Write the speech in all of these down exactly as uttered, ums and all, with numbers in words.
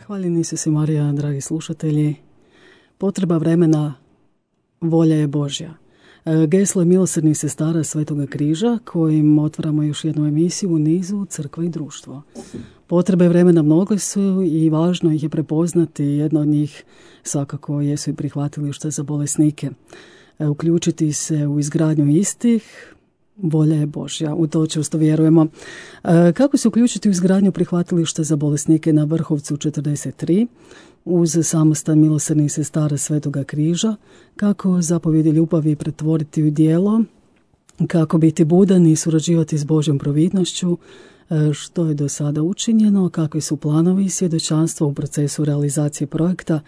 Hvaljeni Isus i Marija, dragi slušatelji. Potreba vremena, volja je Božja. Geslo je milosrdnih sestara Svetoga križa, kojim otvaramo još jednu emisiju u nizu Crkva i društvo. Potrebe vremena mnogo su i važno ih je prepoznati. Jedna od njih svakako jesu i prihvatilišta za bolesnike. Uključiti se u izgradnju istih, volja je Božja, u to čvrsto vjerujemo. Kako se uključiti u izgradnju prihvatilišta za bolesnike na Vrhovcu četrdeset tri uz samostan milosrdnih sestara Svetoga križa, kako zapovjedi ljubavi pretvoriti u djelo, kako biti budan i surađivati s Božjom providnošću, što je do sada učinjeno, kakvi su planovi i svjedočanstva u procesu realizacije projekta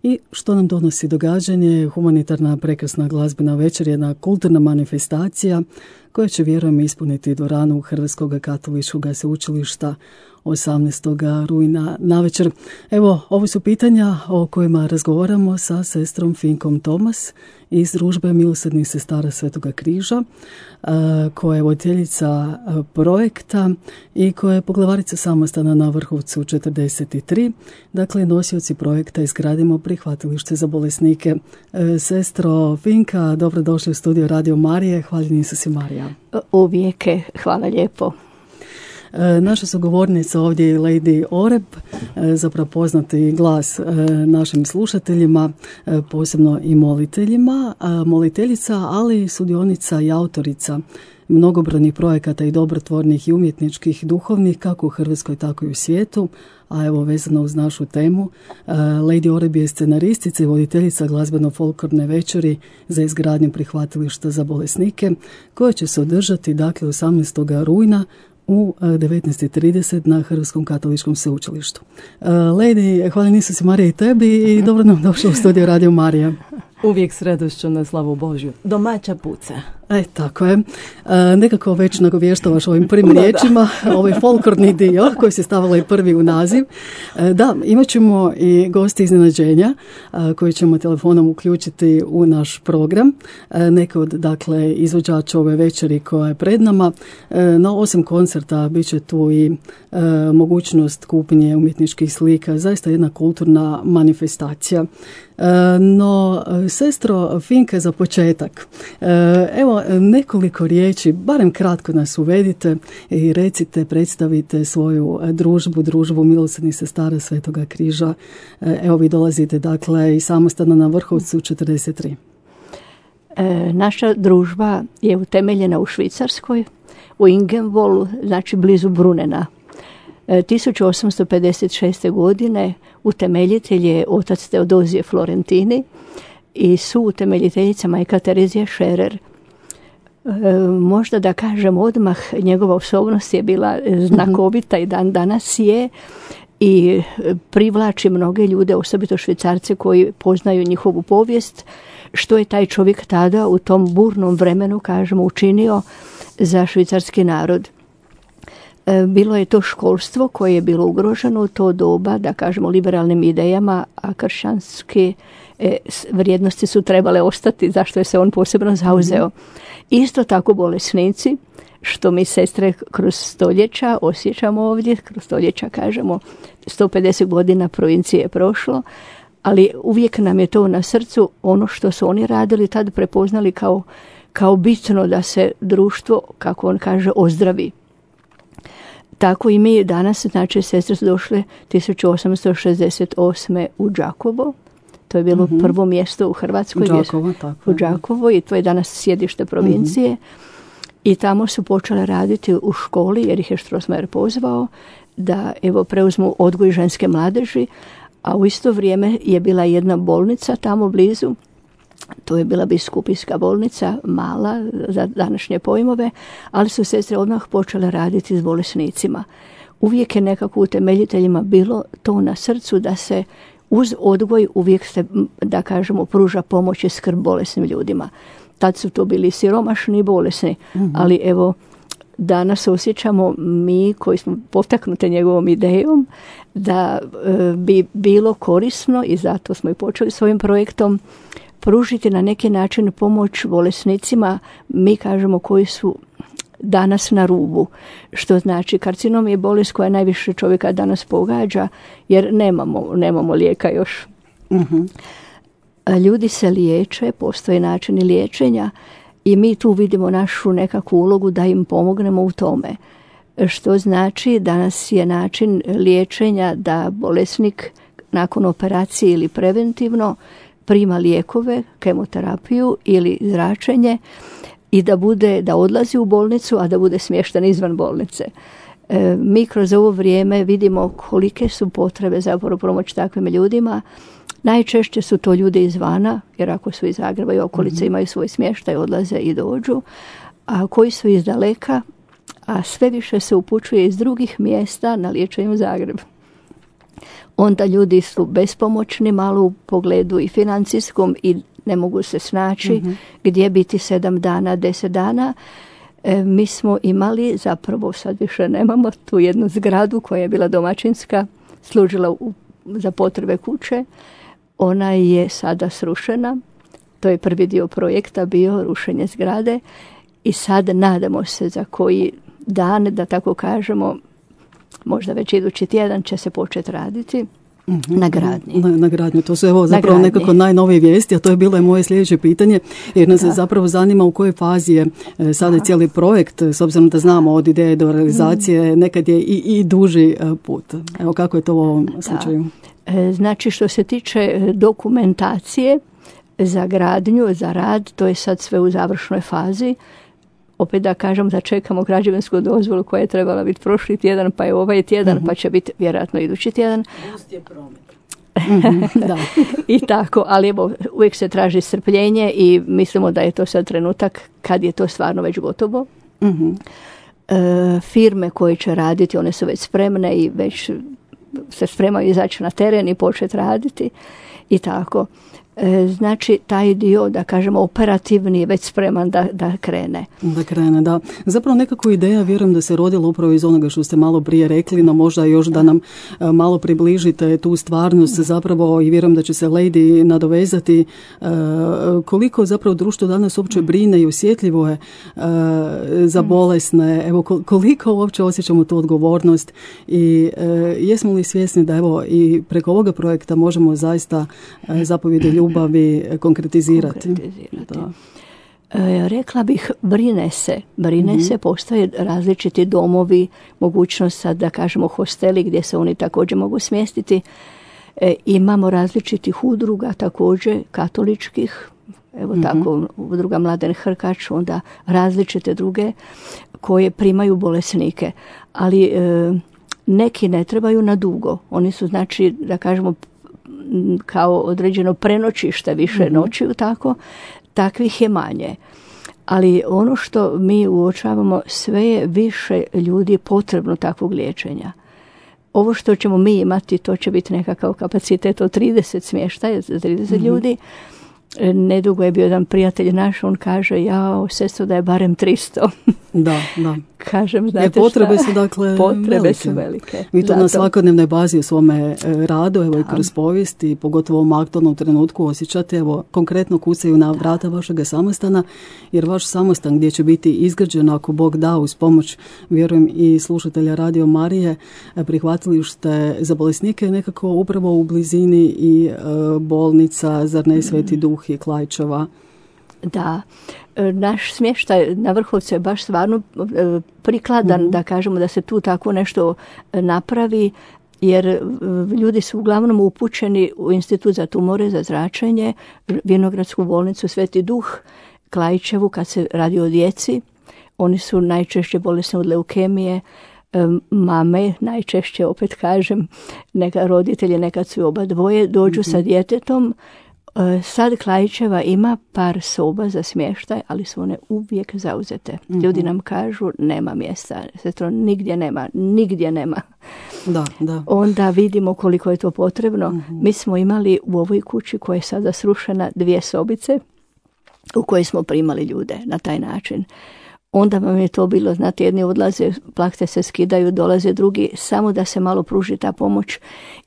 i što nam donosi događanje. Humanitarna prekrasna glazbena večer, jedna kulturna manifestacija koja će, vjerujem, ispuniti dvoranu Hrvatskog katoličkog sveučilišta osamnaestog rujna navečer. Evo, ovo su pitanja o kojima razgovaramo sa sestrom Finkom Tomas iz družbe milosrdnih sestara Svetoga križa, koja je voditeljica projekta i koja je poglavarica samostana na Vrhovcu četrdeset tri. Dakle, nosioci projekta Izgradimo prihvatilište za bolesnike. Sestro Finka, dobrodošli u studio Radio Marije. Hvaljeni Isus i Marija. Uvijek, hvala lijepo. Naša sugovornica ovdje je Lady Oreb, zapravo poznati glas našim slušateljima, posebno i moliteljima, moliteljica, ali sudionica i autorica mnogobrojnih projekata i dobrotvornih i umjetničkih, duhovnih, kako u Hrvatskoj, tako i u svijetu. A evo, vezano uz našu temu, Lady Oreb je scenaristica i voditeljica glazbeno-folklorne večeri za izgradnju prihvatilišta za bolesnike, koje će se održati, dakle, osamnaestog rujna u devetnaest i trideset na Hrvatskom katoličkom sveučilištu. Lady, hvala Isus i Marija i tebi i dobro nam došla u studio Radio Marija. Uvijek s radošću na slavu Božju. Domaća puca. E, tako je. E, nekako već nagovještavaš ovim prvim riječima, ovaj folklorni dio koji se stavila i prvi u naziv. E, da, imat ćemo i gosti iznenađenja a, koji ćemo telefonom uključiti u naš program. E, neke od, dakle, izvođača ove večeri koja je pred nama. E, na osim koncerta bit će tu i e, mogućnost kupnje umjetničkih slika. Zaista jedna kulturna manifestacija. E, no, sestro Finka, za početak, e, evo nekoliko riječi, barem kratko nas uvedite i recite, predstavite svoju družbu, družbu milosrdnih sestara Svetoga križa. Evo, vi dolazite, dakle, i samostana na Vrhovcu četrdeset tri. E, naša družba je utemeljena u Švicarskoj, u Ingenvolu, znači blizu Brunena. E, tisuću osamsto pedeset šeste. godine utemeljitelj je otac Teodozije Florentini i su utemeljiteljica majka Terezija Šerer. E, možda da kažem odmah, njegova osobnost je bila znakovita i dan danas je i privlači mnoge ljude, osobito Švicarce koji poznaju njihovu povijest, što je taj čovjek tada u tom burnom vremenu, kažemo, učinio za švicarski narod. E, bilo je to školstvo koje je bilo ugroženo u to doba, da kažemo, liberalnim idejama, a kršćanske e, vrijednosti su trebale ostati, zašto je se on posebno zauzeo. Isto tako bolesnici, što mi sestre kroz stoljeća osjećamo ovdje, kroz stoljeća kažemo, sto pedeset godina provincije je prošlo, ali uvijek nam je to na srcu, ono što su oni radili tad prepoznali kao, kao bitno da se društvo, kako on kaže, ozdravi. Tako i mi danas, znači, sestre su došle tisuću osamsto šezdeset osme. u Đakovo. To je bilo mm-hmm. prvo mjesto u Hrvatskoj. Đakovo, tako. U Đakovo, i to je danas sjedište provincije. Mm-hmm. I tamo su počele raditi u školi, jer ih je Strossmayer pozvao da, evo, preuzmu odgoj ženske mladeži, a u isto vrijeme je bila jedna bolnica tamo blizu. To je bila biskupijska bolnica, mala za današnje pojmove, ali su sestre odmah počele raditi s bolesnicima. Uvijek je nekako utemeljiteljima bilo to na srcu da se uz odgoj uvijek se, da kažemo, pruža pomoć i skrb bolesnim ljudima. Tad su to bili siromašni i bolesni, mm-hmm. ali evo, danas osjećamo mi koji smo potaknuti njegovom idejom da e, bi bilo korisno, i zato smo i počeli s ovim projektom, pružiti na neki način pomoć bolesnicima, mi kažemo, koji su danas na rubu. Što znači karcinom je bolest koja najviše čovjeka danas pogađa jer nemamo, nemamo lijeka još. Uh-huh. Ljudi se liječe, postoje načini liječenja i mi tu vidimo našu nekakvu ulogu da im pomognemo u tome. Što znači danas je način liječenja da bolesnik nakon operacije ili preventivno prima lijekove, kemoterapiju ili zračenje i da bude, da odlazi u bolnicu, a da bude smješten izvan bolnice. E, mi kroz ovo vrijeme vidimo kolike su potrebe za pomoć takvim ljudima. Najčešće su to ljudi izvana, jer ako su iz Zagreba i okolice mm-hmm. imaju svoj smještaj, odlaze i dođu, a koji su iz daleka, a sve više se upućuje iz drugih mjesta na liječenje u Zagreb. Onda ljudi su bespomoćni malo u pogledu i financijskom i ne mogu se snaći mm-hmm. gdje biti sedam dana, deset dana. E, mi smo imali, zapravo sad više nemamo, tu jednu zgradu koja je bila domaćinska, služila u, za potrebe kuće. Ona je sada srušena. To je prvi dio projekta bio rušenje zgrade i sad nadamo se za koji dan, da tako kažemo, možda već idući tjedan će se početi raditi mm-hmm. na gradnji. Na, na gradnji. To su evo zapravo nekako najnovije vijesti, a to je bilo je moje sljedeće pitanje, jer nas da. zapravo zanima u kojoj fazi je e, sada Aha. cijeli projekt, s obzirom da znamo od ideje do realizacije, mm. nekad je i, i duži e, put. Evo kako je to u ovom da. slučaju? E, znači što se tiče dokumentacije za gradnju, za rad, to je sad sve u završnoj fazi. Opet da kažem da čekamo građevinsku dozvolu koja je trebala biti prošli tjedan, pa je ovaj tjedan, uh-huh. pa će biti vjerojatno idući tjedan. Pust je promet. uh-huh, da. I tako, ali evo, uvijek se traži strpljenje i mislimo da je to sad trenutak kad je to stvarno već gotovo. Uh-huh. E, firme koje će raditi, one su već spremne i već se spremaju izaći na teren i početi raditi i tako. E, znači taj dio, da kažemo, operativni je već spreman da, da krene. Da krene, da. Zapravo nekako ideja, vjerujem da se rodila upravo iz onoga što ste malo prije rekli, no možda još da nam a, malo približite tu stvarnost zapravo i vjerujem da će se Lady nadovezati a, koliko zapravo društvo danas uopće brine i osjetljivo je a, za bolesne, evo koliko uopće osjećamo tu odgovornost i a, jesmo li svjesni da evo i preko ovoga projekta možemo zaista a, zapovjedi ljubavi konkretizirati. konkretizirati. E, rekla bih, brine se. Brine mm-hmm. se, postoje različiti domovi, mogućnost sad da kažemo hosteli gdje se oni također mogu smjestiti. E, imamo različitih udruga također, katoličkih, evo mm-hmm. tako, udruga Mladen Hrkač, onda različite druge koje primaju bolesnike. Ali e, neki ne trebaju na dugo. Oni su, znači, da kažemo, kao određeno prenoćište više mm-hmm. noćiju, tako, takvih je manje. Ali ono što mi uočavamo, sve je više ljudi potrebno takvog liječenja. Ovo što ćemo mi imati, to će biti nekakav kapacitet od trideset smještaja za trideset mm-hmm. ljudi. Nedugo je bio jedan prijatelj naš, on kaže, jao, sestro, da je barem tristo. Da, da. Kažem, znate jer potrebe šta? su dakle potrebe velike. su velike. Vi to Zato. na svakodnevnoj bazi u svome radu, evo i kroz povijest i pogotovo u ovom aktualnom trenutku osjećate, evo konkretno kucaju na vrata vašega samostana, jer vaš samostan gdje će biti izgrađen, ako Bog da, uz pomoć, vjerujem i slušatelja Radio Marije, prihvatili ste za bolesnike nekako upravo u blizini i e, bolnica, zar ne, Sveti Duh i Klaićeva. Da, naš smještaj na Vrhovcu je baš stvarno prikladan mm-hmm. da kažemo da se tu tako nešto napravi, jer ljudi su uglavnom upućeni u Institut za tumore, za zračenje, Vinogradsku bolnicu Sveti Duh, Klaićevu kad se radi o djeci. Oni su najčešće bolesni od leukemije, mame, najčešće, opet kažem, neka roditelji, nekad su oba dvoje, dođu mm-hmm. sa djetetom. Sad Klaićeva ima par soba za smještaj, ali su one uvijek zauzete. Mm-hmm. Ljudi nam kažu, nema mjesta, sestro, nigdje nema, nigdje nema. Da, da. Onda vidimo koliko je to potrebno. Mm-hmm. Mi smo imali u ovoj kući koja je sada srušena dvije sobice u kojoj smo primali ljude na taj način. Onda vam je to bilo, znate, jedni odlaze, plahte se skidaju, dolaze drugi, samo da se malo pruži ta pomoć,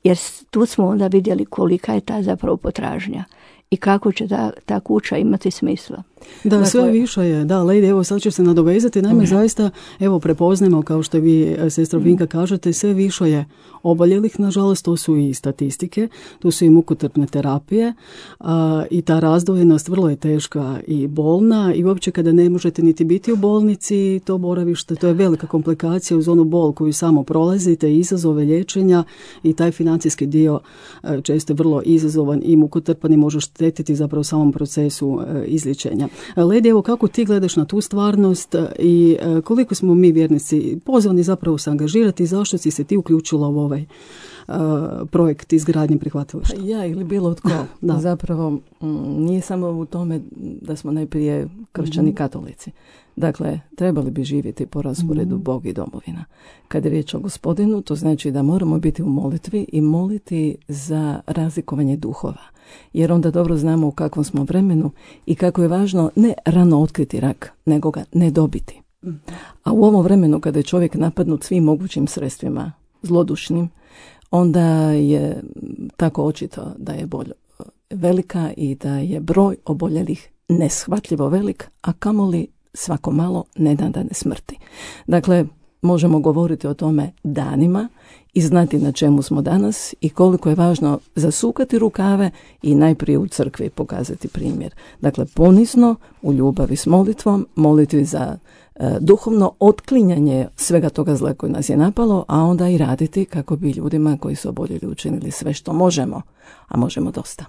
jer tu smo onda vidjeli kolika je ta zapravo potražnja i kako će ta, ta kuća imati smisla. Da, dakle, sve više je. Da, Lady, evo sad ću se nadovezati. Naime, uh-huh. zaista, evo, prepoznajemo, kao što vi, sestra Vinka, kažete, sve više je oboljelih, nažalost, to su i statistike, to su i mukotrpne terapije a, i ta razdvojenost vrlo je teška i bolna i uopće kada ne možete niti biti u bolnici, to boravište, to je velika komplikacija uz onu bol koju samo prolazite, izazove liječenja i taj financijski dio a, često je vrlo izazovan i mukotrpan i može štetiti zapravo samom procesu a, izliječenja. Ledi, evo kako ti gledaš na tu stvarnost i a, koliko smo mi vjernici pozvani zapravo se angažirati i zašto si se ti uključila u ovaj uh, projekt izgradnje prihvatilišta? Ja ili bilo tko. Da. Zapravo m, nije samo u tome da smo najprije kršćani mm-hmm. katolici. Dakle, trebali bi živjeti po rasporedu mm-hmm. Bog i domovina. Kad je riječ o Gospodinu, to znači da moramo biti u molitvi i moliti za razlikovanje duhova. Jer onda dobro znamo u kakvom smo vremenu i kako je važno ne rano otkriti rak, nego ga ne dobiti. A u ovom vremenu kada je čovjek napadnut svim mogućim sredstvima zlodušnim, onda je tako očito da je bolj velika i da je broj oboljelih neshvatljivo velik, a kamoli svako malo nenadane smrti. Dakle, možemo govoriti o tome danima i znati na čemu smo danas i koliko je važno zasukati rukave i najprije u crkvi pokazati primjer. Dakle, ponizno, u ljubavi s molitvom, molitvi za e, duhovno otklinjanje svega toga zla koje nas je napalo, a onda i raditi kako bi ljudima koji su oboljeli učinili sve što možemo, a možemo dosta.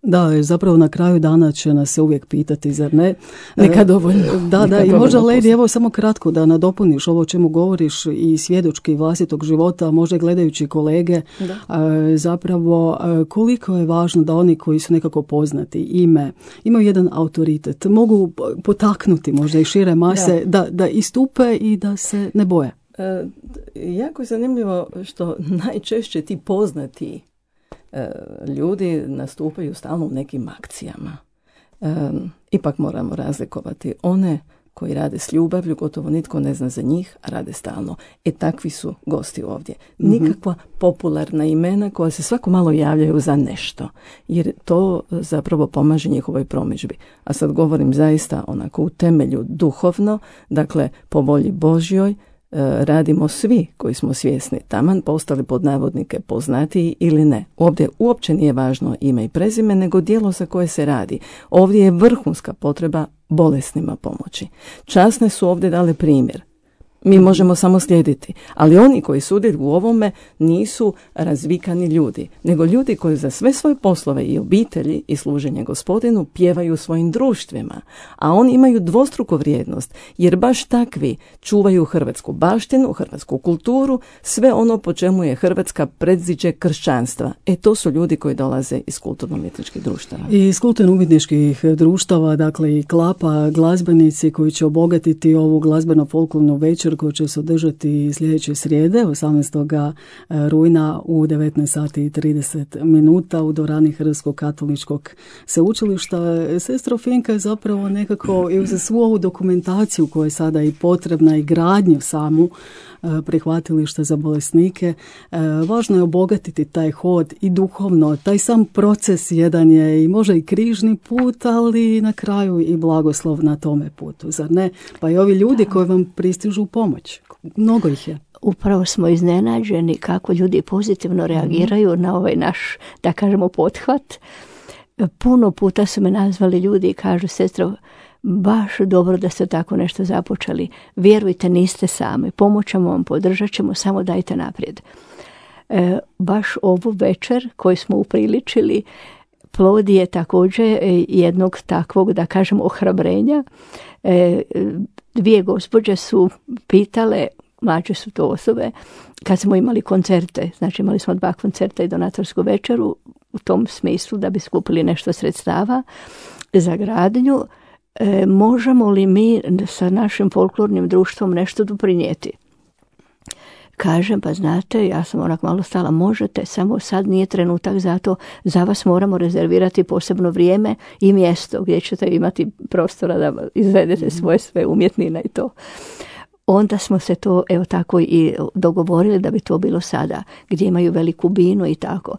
Da, zapravo na kraju dana će nas se uvijek pitati, zar ne? Neka dovoljno. Da, Neka da, i možda, Lady, evo samo kratko da nadopuniš ovo o čemu govoriš i svjedočki vlastitog života, možda gledajući kolege, da. Zapravo koliko je važno da oni koji su nekako poznati, ime, imaju jedan autoritet, mogu potaknuti možda i šire mase da, da, da istupe i da se ne boje. E, jako je zanimljivo što najčešće ti poznati ljudi nastupaju stalno u nekim akcijama. E, ipak moramo razlikovati one koji rade s ljubavlju, gotovo nitko ne zna za njih, a rade stalno. E takvi su gosti ovdje. Nikakva popularna imena koja se svako malo javljaju za nešto, jer to zapravo pomaže njihovoj promidžbi. A sad govorim zaista onako u temelju duhovno, dakle po volji Božjoj, radimo svi koji smo svjesni, taman postali pod navodnike poznatiji ili ne. Ovdje uopće nije važno ime i prezime, nego djelo za koje se radi. Ovdje je vrhunska potreba bolesnima pomoći. Časne su ovdje dale primjer. Mi možemo samo slijediti, ali oni koji sudjeluju u ovome nisu razvikani ljudi, nego ljudi koji za sve svoje poslove i obitelji i služenje Gospodinu pjevaju svojim društvima, a oni imaju dvostruku vrijednost, jer baš takvi čuvaju hrvatsku baštinu, hrvatsku kulturu, sve ono po čemu je Hrvatska predziđe kršćanstva. E to su ljudi koji dolaze iz kulturno-umjetničkih društava. I iz kulturno-umjetničkih društava, dakle i Klapa, glazbenici koji će obogatiti ovu glazbeno-folklornu večer koji će se održati sljedeće srijede, osamnaestog rujna u devetnaest sati i trideset minuta u dvorani Hrvatskog katoličkog sveučilišta. Sestro Finka je zapravo nekako i za svu ovu dokumentaciju koja je sada i potrebna i gradnju samu prihvatilišta za bolesnike. Važno je obogatiti taj hod i duhovno, taj sam proces jedan je i možda i križni put, ali na kraju i blagoslov na tome putu, zar ne? Pa i ovi ljudi koji vam pristižu u pomoć, mnogo ih je. Upravo smo iznenađeni kako ljudi pozitivno reagiraju mm. na ovaj naš, da kažemo, pothvat. Puno puta su me nazvali ljudi i kažu, sestro, baš dobro da ste tako nešto započeli. Vjerujte, niste sami. Pomoćemo vam, podržat ćemo, samo dajte naprijed. E, baš ovu večer koju smo upriličili, plod je također jednog takvog, da kažem, ohrabrenja. E, dvije gospođe su pitale, mlađe su to osobe, kad smo imali koncerte, znači imali smo dva koncerta i donatorsku večeru, u tom smislu da bi skupili nešto sredstava za gradnju, e, možemo li mi sa našim folklornim društvom nešto doprinijeti? Kažem, pa znate, ja sam onak malo stala, možete, samo sad nije trenutak za to, za vas moramo rezervirati posebno vrijeme i mjesto gdje ćete imati prostora da izvedete svoje sve umjetnine i to. Onda smo se to, evo tako, i dogovorili da bi to bilo sada, gdje imaju veliku binu i tako.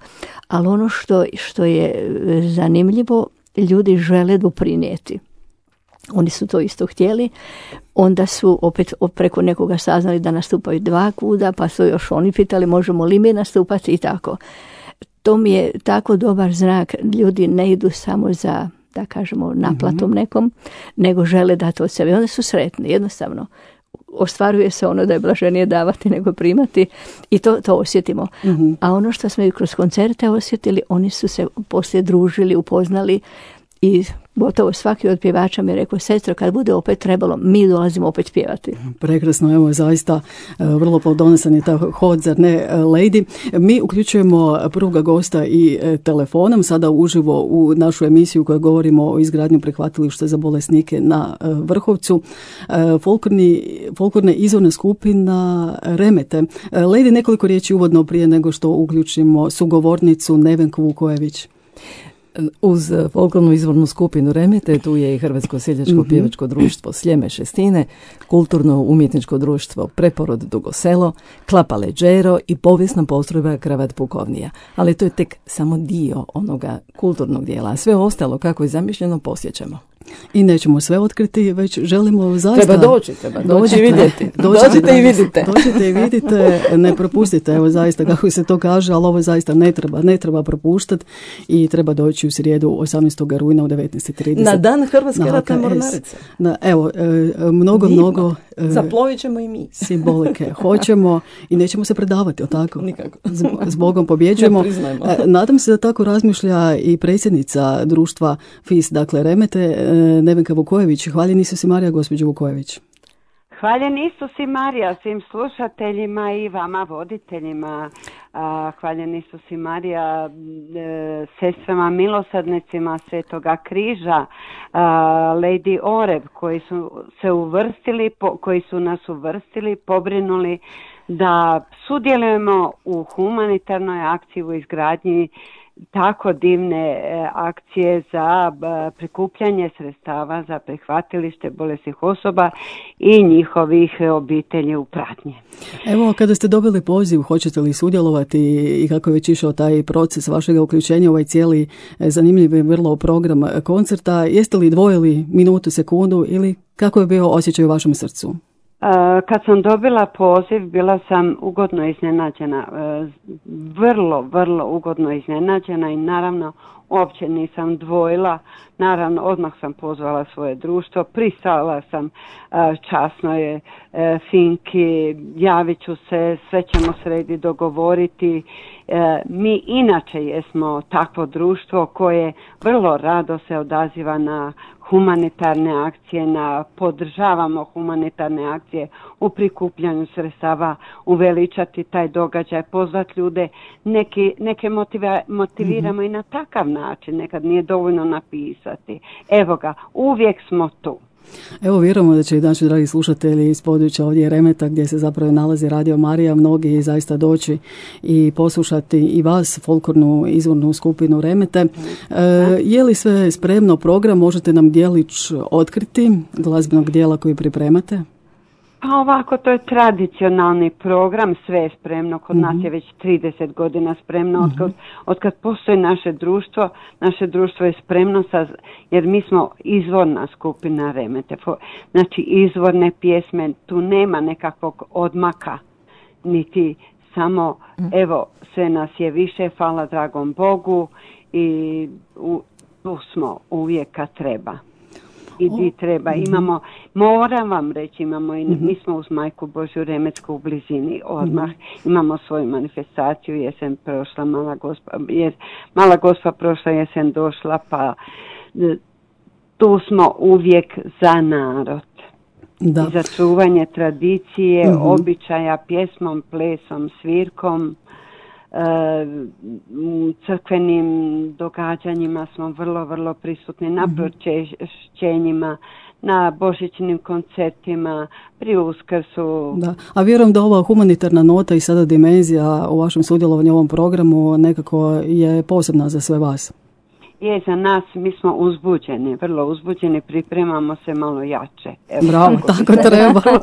Ali ono što, što je zanimljivo, ljudi žele doprinijeti. Oni su to isto htjeli. Onda su opet preko nekoga saznali da nastupaju dva kuda, pa su još oni pitali možemo li mi nastupati i tako. To mi je tako dobar znak. Ljudi ne idu samo za, da kažemo, naplatom nekom, nego žele dati od sebe. Onda su sretni, jednostavno. Ostvaruje se ono da je blaženije davati nego primati i to, to osjetimo. Mm-hmm. A ono što smo i kroz koncerte osjetili, oni su se poslije družili, upoznali i gotovo svaki od pjevača mi je rekao, sestro, kad bude opet trebalo, mi dolazimo opet pjevati. Prekrasno, evo zaista vrlo plodonosan je ta hod, zar ne, Lady? Mi uključujemo prvoga gosta i telefonom, sada uživo u našu emisiju koja govorimo o izgradnju prihvatilišta za bolesnike na Vrhovcu. Folklorni, folklorna izvorna skupina Remete. Lady, nekoliko riječi uvodno prije nego što uključimo sugovornicu Nevenku Vukojević. Uz folklornu izvornu skupinu Remete tu je i Hrvatsko seljačko pjevačko društvo Sljeme Šestine, kulturno umjetničko društvo Preporod Dugo Selo, Klapa Leđero i povijesna postrojba Kravat Pukovnija. Ali to je tek samo dio onoga kulturnog dijela, a sve ostalo kako je zamišljeno posjećamo. I nećemo sve otkriti, već želimo zaista... Treba doći, treba doći i vidjeti. Dođite, dođite i vidite. Dođite i vidite, ne propustite, evo zaista kako se to kaže, ali ovo zaista ne treba, ne treba propuštati i treba doći u srijedu osamnaestog rujna u devetnaest i trideset. Na dan Hrvatske ratne mornarice. Na, evo, mnogo, Divno. mnogo... Zaplovit ćemo i mi. Simbolike. Hoćemo i nećemo se predavati, o tako? Nikako. S Bogom pobjeđujemo. Ne Nadam se da tako razmišlja i predsjednica društva F I S, dakle Remete, Nevenka Vukojević. Hvaljen Isus i Marija, gospođo Vukojević. Hvaljen Isus i Marija svim slušateljima i vama voditeljima. Hvaljen Isus i Marija sestrama milosrdnicima Svetoga križa, Lady Oreb koji su se uvrstili, koji su nas uvrstili, pobrinuli da sudjelujemo u humanitarnoj akciji u izgradnji tako divne akcije za prikupljanje sredstava za prihvatilište bolesnih osoba i njihovih obitelji u pratnji. Evo, kada ste dobili poziv, hoćete li sudjelovati i kako je već išao taj proces vašega uključenja u ovaj cijeli zanimljiv i vrlo program koncerta, jeste li dvojili minutu, sekundu ili kako je bio osjećaj u vašem srcu? Kad sam dobila poziv, bila sam ugodno iznenađena, vrlo, vrlo ugodno iznenađena i naravno uopće nisam dvojila. Naravno, odmah sam pozvala svoje društvo, pristala sam časnoj Finki, javit ću se, sve ćemo sredi dogovoriti. Mi inače jesmo takvo društvo koje vrlo rado se odaziva na humanitarne akcije, na podržavamo humanitarne akcije u prikupljanju sredstava, uveličati taj događaj, pozvati ljude, neki, neke motiva, motiviramo mm-hmm. i na takav način, nekad nije dovoljno napisati. Evo ga, uvijek smo tu. Evo, vjerujemo da će i naši dragi slušatelji iz područja ovdje Remeta, gdje se zapravo nalazi Radio Marija, mnogi zaista doći i poslušati i vas, folklornu izvornu skupinu Remete. E, je li sve spremno, program, možete nam dijelić otkriti glazbenog dijela koji pripremate? Pa ovako, to je tradicionalni program, sve je spremno, kod mm-hmm. nas je već trideset godina spremno, mm-hmm. od, od kad postoji naše društvo, naše društvo je spremno, sa, jer mi smo izvorna skupina Remete, znači izvorne pjesme, tu nema nekakvog odmaka, niti samo, mm-hmm. evo, sve nas je više, hvala dragom Bogu i u, tu smo uvijek kad treba. I di treba. Imamo, moram vam reći, imamo i, mi smo uz Majku Božju Remetsku u blizini odmah. Imamo svoju manifestaciju, jesen prošla, mala gospa, jer mala gospa prošla jesen došla, pa tu smo uvijek za narod. Da. I za čuvanje tradicije, uh-huh. običaja, pjesmom, plesom, svirkom. U crkvenim događanjima smo vrlo, vrlo prisutni, na pročišćenjima, na božićnim koncertima, pri Uskrsu. Da. A vjerujem da ova humanitarna nota i sada dimenzija u vašem sudjelovanju u ovom programu nekako je posebna za sve vas. Je, za nas, mi smo uzbuđeni, vrlo uzbuđeni, pripremamo se malo jače. Evo, bravo, tako treba. Uh,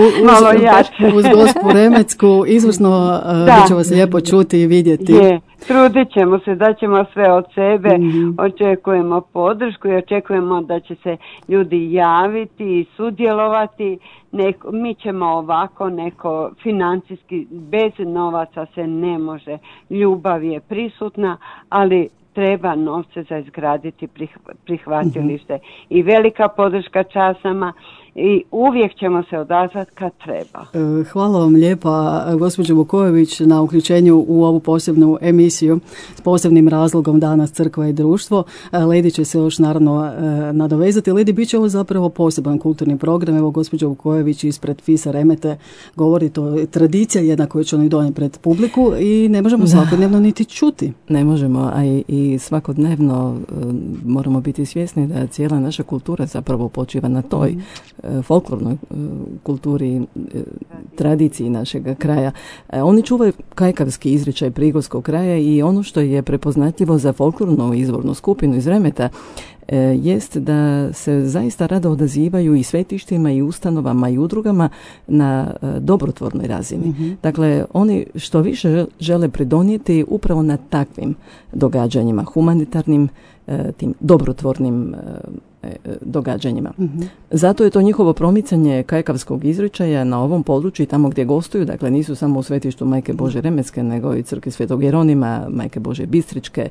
uz, malo jače. Uz gospu Remecku, izvrsno uh, da će vas lijepo čuti i vidjeti. Je, Trudit ćemo se, da ćemo sve od sebe, mm-hmm. očekujemo podršku i očekujemo da će se ljudi javiti i sudjelovati. Neko, mi ćemo ovako neko financijski, bez novaca se ne može. Ljubav je prisutna, ali treba novce za izgraditi prihvatilište. Mm-hmm. I velika podrška časama i uvijek ćemo se odazvati kad treba. Hvala vam lijepa, gospođo Vukojević, na uključenju u ovu posebnu emisiju s posebnim razlogom Danas crkva i društvo. Ledi će se još naravno nadovezati. Ledi, bit će ovo zapravo poseban kulturni program. Evo, gospođo Vukojević ispred Fisa Remete govori, to je tradicija jedna koju će oni donijeti pred publiku i ne možemo svakodnevno niti čuti. Ne možemo, a i, i svakodnevno moramo biti svjesni da cijela naša kultura zapravo počiva na toj mm. folklornoj kulturi, tradiciji našeg kraja. Oni čuvaju kajkavski izričaj prigorskog kraja i ono što je prepoznatljivo za folklornu izvornu skupinu iz Remeta jest da se zaista rado odazivaju i svetištima i ustanovama i udrugama na dobrotvornoj razini. Mm-hmm. Dakle, oni što više žele pridonijeti upravo na takvim događanjima, humanitarnim, tim dobrotvornim događanjima. Mm-hmm. Zato je to njihovo promicanje kajkavskog izričaja na ovom području i tamo gdje gostuju, dakle nisu samo u svetištu Majke Božje Remetske, nego i crkvi Svetog Jeronima, Majke Božje Bistričke,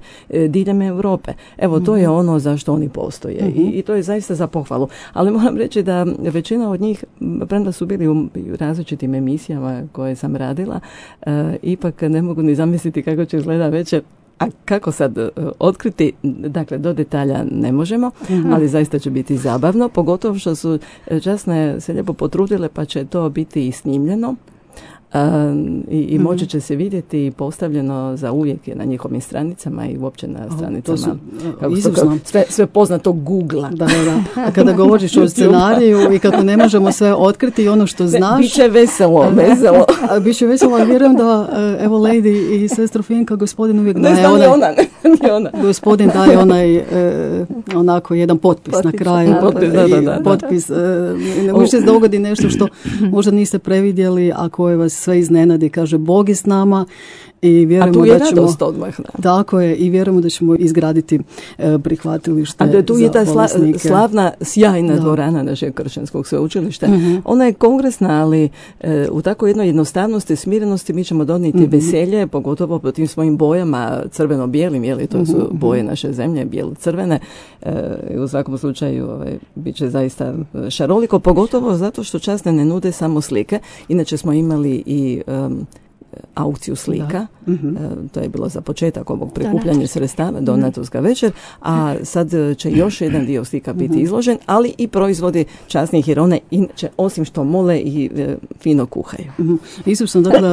diljem Europe. Evo, mm-hmm. to je ono zašto oni postoje. Mm-hmm. I, i to je zaista za pohvalu. Ali moram reći da većina od njih, premda su bili u različitim emisijama koje sam radila, uh, ipak ne mogu ni zamisliti kako će izgleda večer. A kako sad uh, otkriti, dakle do detalja ne možemo, mm-hmm. ali zaista će biti zabavno, pogotovo što su časne se lijepo potrudile pa će to biti i snimljeno. Uh, i, i moći će se vidjeti i postavljeno za uvijek je na njihovim stranicama i uopće na stranicama su, kako sve, sve poznato Google-a. Da, da, da. A kada govoriš o scenariju i kako ne možemo sve otkriti i ono što znaš... Biće veselo, veselo. Biće veselo, ali vjerujem da evo Lady i sestro Finka, gospodin uvijek daje ne onaj... ona, ne ona. Gospodin daje onaj e, onako jedan potpis, potpis na kraju. Potpis, da, da, da. Potpis, e, ne možete se dogodi nešto što možda niste previdjeli, a koje vas sve iznenadi, kaže Bog je s nama i vjerujemo da ćemo odmah, da. Tako je, i vjerujemo da ćemo izgraditi e, prihvatilište. A da tu je ta sla, bolesnike. slavna, sjajna da. dvorana našeg kršćanskog sveučilišta. Uh-huh. Ona je kongresna, ali e, u tako jednoj jednostavnosti, smirenosti mi ćemo donijeti uh-huh. veselje, pogotovo po tim svojim bojama crveno-bijelim, jeli to su uh-huh. boje naše zemlje, bijelo-crvene. E, u svakom slučaju ovaj, bit će zaista šaroliko, pogotovo zato što časne ne nude samo slike. Inače smo imali i um, aukciju slika, mm-hmm. e, to je bilo za početak ovog prikupljanja sredstava, donatorska večer, a sad će još jedan dio slika biti mm-hmm. izložen, ali i proizvodi časnih Irone, inače osim što mole i e, fino kuhaju. Mm-hmm. Izučno, dakle,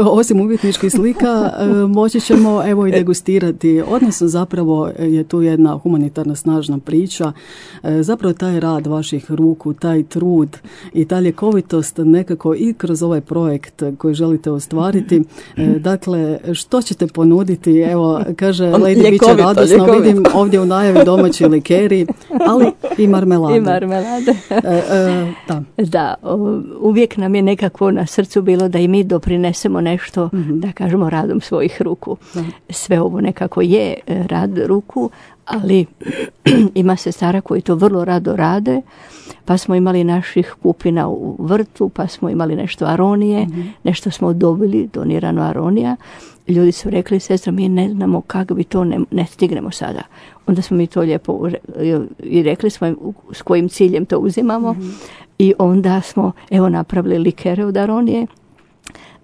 osim umjetničkih slika, moći ćemo evo i degustirati, odnosno zapravo je tu jedna humanitarna snažna priča, zapravo taj rad vaših ruku, taj trud i ta ljekovitost nekako i kroz ovaj projekt koji želite ostvariti. Dakle, što ćete ponuditi? Evo, kaže Lady, bit će radosno, ljekovito. Vidim ovdje u najavi domaći likeri, ali i marmelade. I marmelade. e, e, da. Da, uvijek nam je nekako na srcu bilo da i mi doprinesemo nešto, mm-hmm. da kažemo, radom svojih ruku. Da. Sve ovo nekako je rad ruku, ali ima sestara koji to vrlo rado rade, pa smo imali naših kupina u vrtu, pa smo imali nešto aronije, mm-hmm. nešto smo dobili donirano aronija. Ljudi su rekli, sestra, mi ne znamo kako bi to, ne, ne stignemo sada. Onda smo mi to lijepo i rekli smo im s kojim ciljem to uzimamo, mm-hmm. i onda smo evo napravili likere od aronije,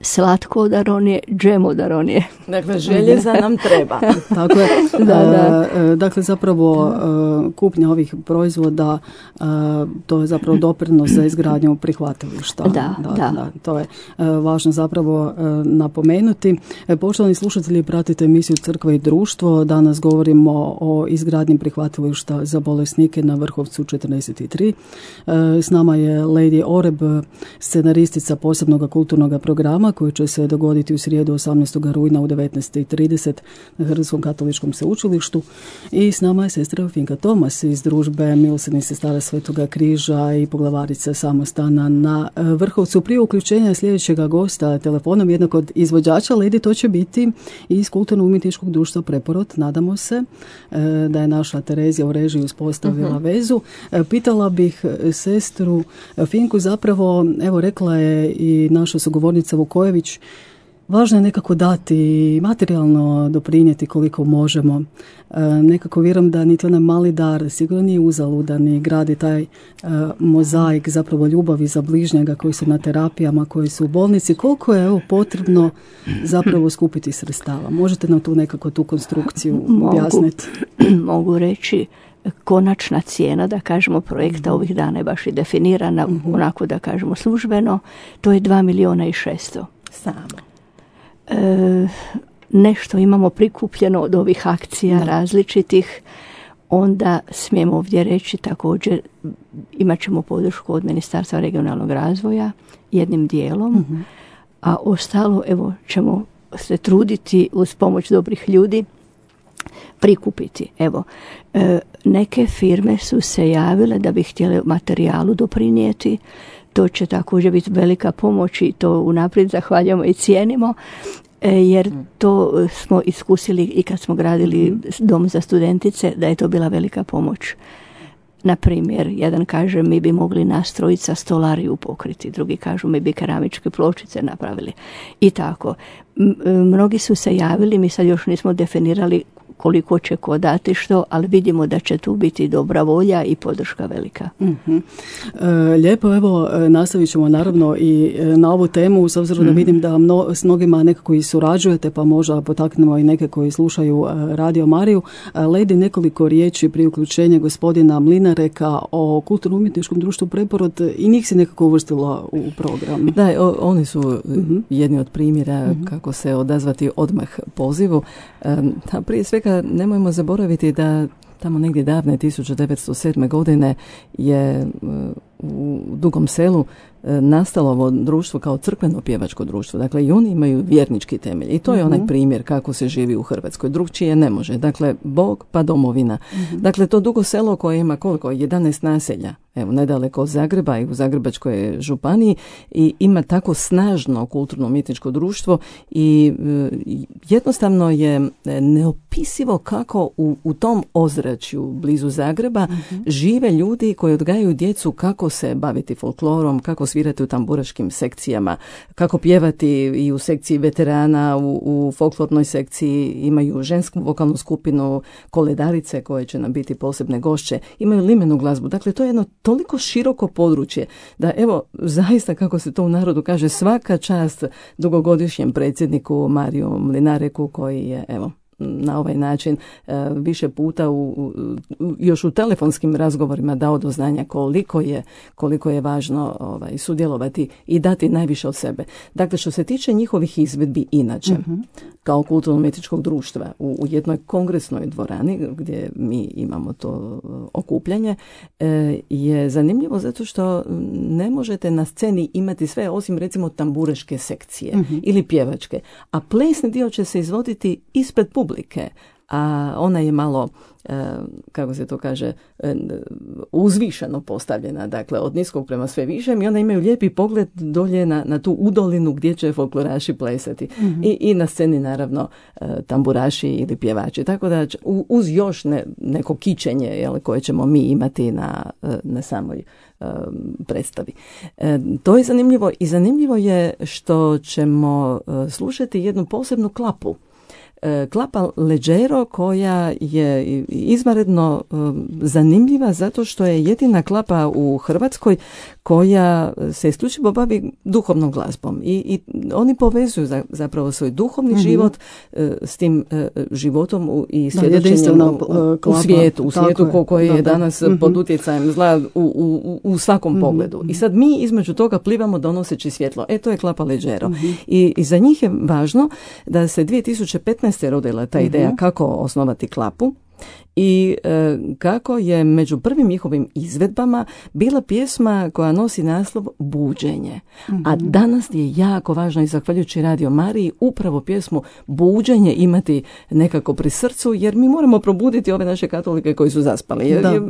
slatko od aronije, džem od aronije. Dakle, željeza nam treba. Tako je. Da, da. E, dakle, zapravo e, kupnja ovih proizvoda, e, to je zapravo doprinos za izgradnju prihvatilišta. Da, da, da. da. To je e, važno zapravo e, napomenuti. E, poštovani slušatelji, pratite emisiju Crkva i društvo. Danas govorimo o izgradnji prihvatilišta za bolesnike na Vrhovcu četrdeset tri. E, s nama je Lady Oreb, scenaristica posebnog kulturnog programa koji će se dogoditi u srijedu osamnaestog rujna u devetnaest i trideset na Hrvatskom katoličkom sveučilištu. I s nama je sestra Finka Tomas iz družbe Milosrdnih sestara Svetoga križa i poglavarica samostana na Vrhovcu. Prije uključenja sljedećeg gosta telefonom jednog od izvođača Ledi, to će biti iz Kulturno-umjetničkog društva Preporod. Nadamo se da je naša Terezija u režiji uspostavila uh-huh. vezu. Pitala bih sestru Finku, zapravo, evo rekla je i naša sugovornica Vukojević, važno je nekako dati materijalno doprinijeti koliko možemo. E, nekako vjerujem da niti onaj mali dar sigurno nije uzaludan i gradi taj e, mozaik zapravo ljubavi za bližnjega koji su na terapijama, koji su u bolnici. Koliko je evo potrebno zapravo skupiti sredstava? Možete nam tu nekako tu konstrukciju objasniti? Mogu, mogu reći, konačna cijena, da kažemo, projekta ovih dana je baš i definirana, uh-huh. onako da kažemo službeno, to je dva milijuna i šesto. Samo. E, nešto imamo prikupljeno od ovih akcija da. različitih, onda smijemo ovdje reći također imat ćemo podršku od Ministarstva regionalnog razvoja jednim dijelom, uh-huh. a ostalo evo ćemo se truditi uz pomoć dobrih ljudi prikupiti. Evo, e, neke firme su se javile da bi htjele materijalu doprinijeti. To će također biti velika pomoć i to unaprijed zahvaljujemo i cijenimo, jer to smo iskusili i kad smo gradili dom za studentice, da je to bila velika pomoć. Na primjer, jedan kaže mi bi mogli nastrojica stolariju pokriti, drugi kažu mi bi keramičke pločice napravili. I tako. Mnogi su se javili, mi sad još nismo definirali koliko će ko dati što, ali vidimo da će tu biti dobra volja i podrška velika. Uh-huh. E, lijepo, evo, nastavit ćemo naravno i na ovu temu, s obzirom uh-huh. da vidim da mno, s mnogima nekako i surađujete, pa možda potaknemo i neke koji slušaju Radio Mariju. Ledi, nekoliko riječi prije uključenja gospodina Mlinareka o Kulturno-umjetničkom društvu Preporod, i njih se nekako uvrstilo u program. Da, o, oni su uh-huh. jedni od primjera uh-huh. kako se odazvati odmah pozivu. Um, prije svega nemojmo zaboraviti da tamo negdje davne tisuće devetsto sedme. godine je u Dugom Selu nastalo ovo društvo kao crkveno pjevačko društvo. Dakle, i oni imaju vjernički temelj. I to je onaj primjer kako se živi u Hrvatskoj. Drugčije ne može. Dakle, Bog pa domovina. Mm-hmm. Dakle, to Dugo Selo koje ima koliko? jedanaest naselja. Evo, nedaleko od Zagreba i u Zagrebačkoj županiji, i ima tako snažno kulturno-umjetničko društvo i e, jednostavno je neopisivo kako u, u tom ozračju blizu Zagreba mm-hmm. žive ljudi koji odgajaju djecu kako se baviti folklorom, kako svirati u tamburaškim sekcijama, kako pjevati i u sekciji veterana, u, u folklornoj sekciji imaju žensku vokalnu skupinu, koledarice koje će nam biti posebne gošće, imaju limenu glazbu. Dakle, to je jedno toliko široko područje da, evo, zaista, kako se to u narodu kaže, svaka čast dugogodišnjem predsjedniku Mariju Mlinareku koji je, evo, na ovaj način e, više puta u, u, još u telefonskim razgovorima dao do znanja koliko je, koliko je važno ovaj, sudjelovati i dati najviše od sebe. Dakle, što se tiče njihovih izvedbi inače, uh-huh. kao kulturno-umjetničkog društva u, u jednoj kongresnoj dvorani gdje mi imamo to okupljanje, e, je zanimljivo zato što ne možete na sceni imati sve osim recimo tamburaške sekcije uh-huh. ili pjevačke, a plesni dio će se izvoditi ispred publike. publike, a ona je malo, e, kako se to kaže, e, uzvišeno postavljena, dakle od niskog prema sve višem, i onda imaju lijepi pogled dolje na, na tu udolinu gdje će folkloraši plesati. Mm-hmm. I, i na sceni naravno e, tamburaši ili pjevači. Tako da u, uz još ne, neko kičenje, jel, koje ćemo mi imati na, na samoj e, predstavi. E, to je zanimljivo, i zanimljivo je što ćemo e, slušati jednu posebnu klapu. Klapa Leggero, koja je izvanredno zanimljiva zato što je jedina klapa u Hrvatskoj koja se isključivo bavi duhovnom glazbom. I, i oni povezuju za, zapravo svoj duhovni mm-hmm. život s tim životom i svjedočenjem u, u svijetu, u svijetu ko, koji je danas mm-hmm. pod utjecajem zla u, u, u svakom mm-hmm. pogledu. I sad mi između toga plivamo donoseći svjetlo. E, to je Klapa Leggero. Mm-hmm. I, I za njih je važno da se dvije tisuće petnaeste rodila ta ideja mm-hmm. kako osnovati klapu. i e, kako je među prvim njihovim izvedbama bila pjesma koja nosi naslov Buđenje. Mm-hmm. A danas je jako važno i zahvaljujući Radio Mariji upravo pjesmu Buđenje imati nekako pri srcu, jer mi moramo probuditi ove naše katolike koji su zaspali. Jer, jer,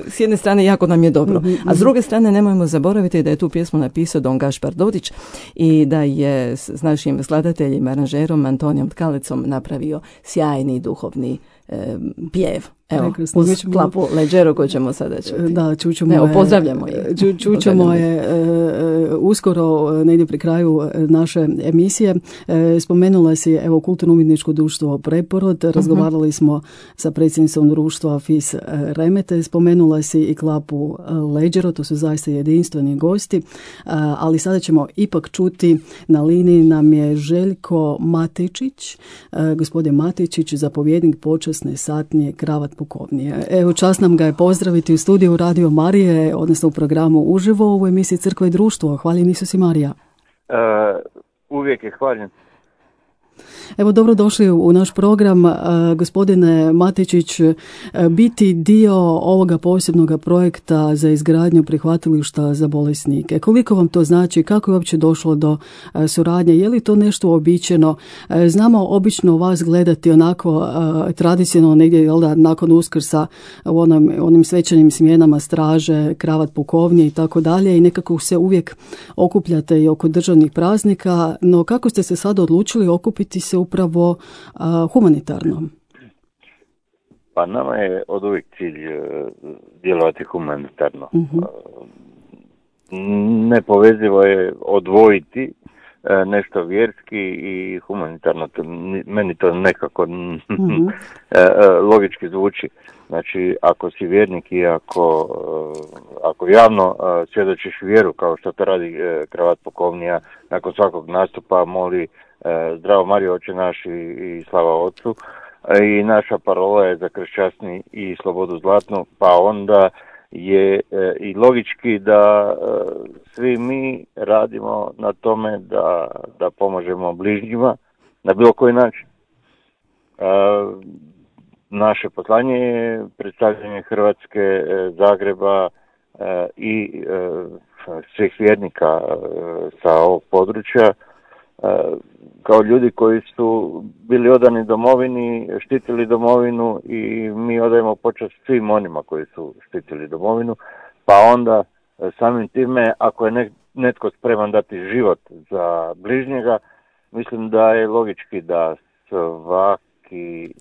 s jedne strane jako nam je dobro, mm-hmm. a s druge strane nemojmo zaboraviti da je tu pjesmu napisao Don Gašpar Dodić i da je s našim skladateljima, aranžerom Antonijom Tkalecom napravio sjajni duhovni e, pjev. Evo, Prekrasno. Uz klapu Leđero koju ćemo sada čuti. Da, čućemo Evo, pozdravljamo je. Ču, čućemo je e, uskoro, negdje pri kraju naše emisije. E, spomenula si, evo, Kulturno-umjetničko društvo Preporod. Razgovarali uh-huh. smo sa predsjednicom društva Fis Remete. Spomenula si i klapu Leđero, to su zaista jedinstveni gosti. E, ali sada ćemo ipak čuti, na liniji nam je Željko Matičić. E, gospodin Matičić, zapovjednik počasne satnije Kravat pukovnije. Evo, čast nam ga je pozdraviti u studiju Radio Marije, odnosno u programu Uživo u emisiji Crkva i društvo. Hvaljen Isus i Marija. Uh, uvijek je hvaljen. Evo, dobrodošli u naš program, gospodine Matičić. Biti dio ovoga posebnog projekta za izgradnju prihvatilišta za bolesnike. Koliko vam to znači? Kako je uopće došlo do suradnje? Je li to nešto uobičajeno? Znamo obično vas gledati onako tradicionalno negdje, jel da, nakon Uskrsa u onom, onim svečanim smjenama straže, kravat pukovnje i tako dalje, i nekako se uvijek okupljate i oko državnih praznika, no kako ste se sad odlučili okupiti se upravo a, humanitarno? Pa nama je od uvijek cilj uh, djelovati humanitarno. Uh-huh. Uh, nepovezivo je odvojiti uh, nešto vjerski i humanitarno. To, meni to nekako uh-huh. uh, logički zvuči. Znači, ako si vjernik i ako, uh, ako javno uh, svjedočiš vjeru, kao što to radi uh, kravat pukovnija, nakon svakog nastupa moli Zdravo Marijo, Oče naš i, i slava Otcu, i naša parola je za kršćasni i slobodu zlatnu, pa onda je e, i logički da e, svi mi radimo na tome da, da pomožemo bližnjima na bilo koji način. E, naše poslanje je predstavljanje Hrvatske, e, Zagreba e, i e, svih vjernika e, sa ovog područja, kao ljudi koji su bili odani domovini, štitili domovinu, i mi odajemo počast svim onima koji su štitili domovinu, pa onda samim time, ako je netko spreman dati život za bližnjega, mislim da je logički da svaki,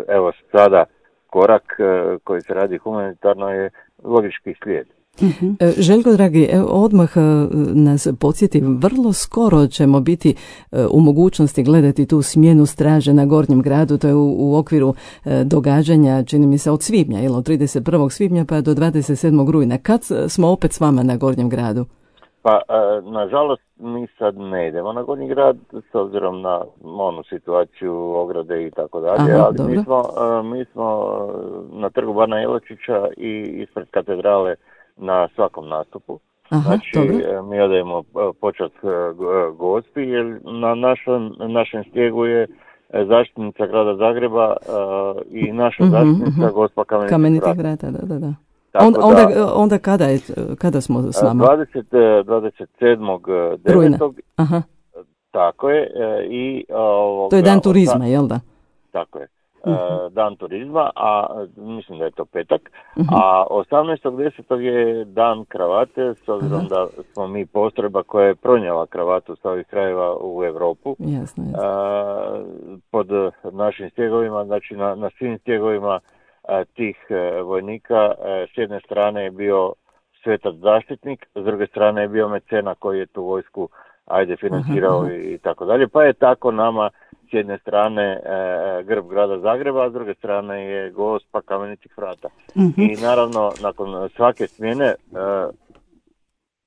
evo sada korak koji se radi humanitarno je logički slijed. Uh-huh. Željko, dragi, odmah nas podsjeti, vrlo skoro ćemo biti u mogućnosti gledati tu smjenu straže na Gornjem gradu, to je u, u okviru događanja, čini mi se, od svibnja, jel, od trideset prvog svibnja pa do dvadeset sedmog rujna. Kad smo opet s vama na Gornjem gradu? Pa, nažalost, mi sad ne idemo na Gornji grad, s obzirom na onu situaciju, ograde i tako dalje, ali dobro. mi smo, mi smo na trgu Bana Jelačića i ispred katedrale na svakom nastupu. Aha, znači, dobro. Mi odajemo počast gospi, jer na našem, našem stijegu je zaštitnica grada Zagreba uh, i naša uh-huh, zaštitnica uh-huh. gospa Kamenitih, Kamenitih vrata. vrata, da, da. Onda, onda, onda kada, je, kada smo s nama? dvadeset sedmog devetog Aha. Tako je. I, ovoga, to je dan turizma, jel da? Tako je. Uh-huh. Dan turizma, a mislim da je to petak, uh-huh. a osamnaestog desetog je dan kravate, s obzirom uh-huh. da smo mi postrojba koja je pronijela kravatu s ovih krajeva u Europu. Jasno, jasno. A, pod našim stjegovima, znači na, na svim stjegovima a, tih a, vojnika, a, s jedne strane je bio svetac zaštitnik, s druge strane je bio mecena koji je tu vojsku ajde financirao uh-huh. i, i tako dalje, pa je tako nama s jedne strane e, grb grada Zagreba, a s druge strane je gospa Kamenitih vrata. Mm-hmm. I naravno, nakon svake smjene e,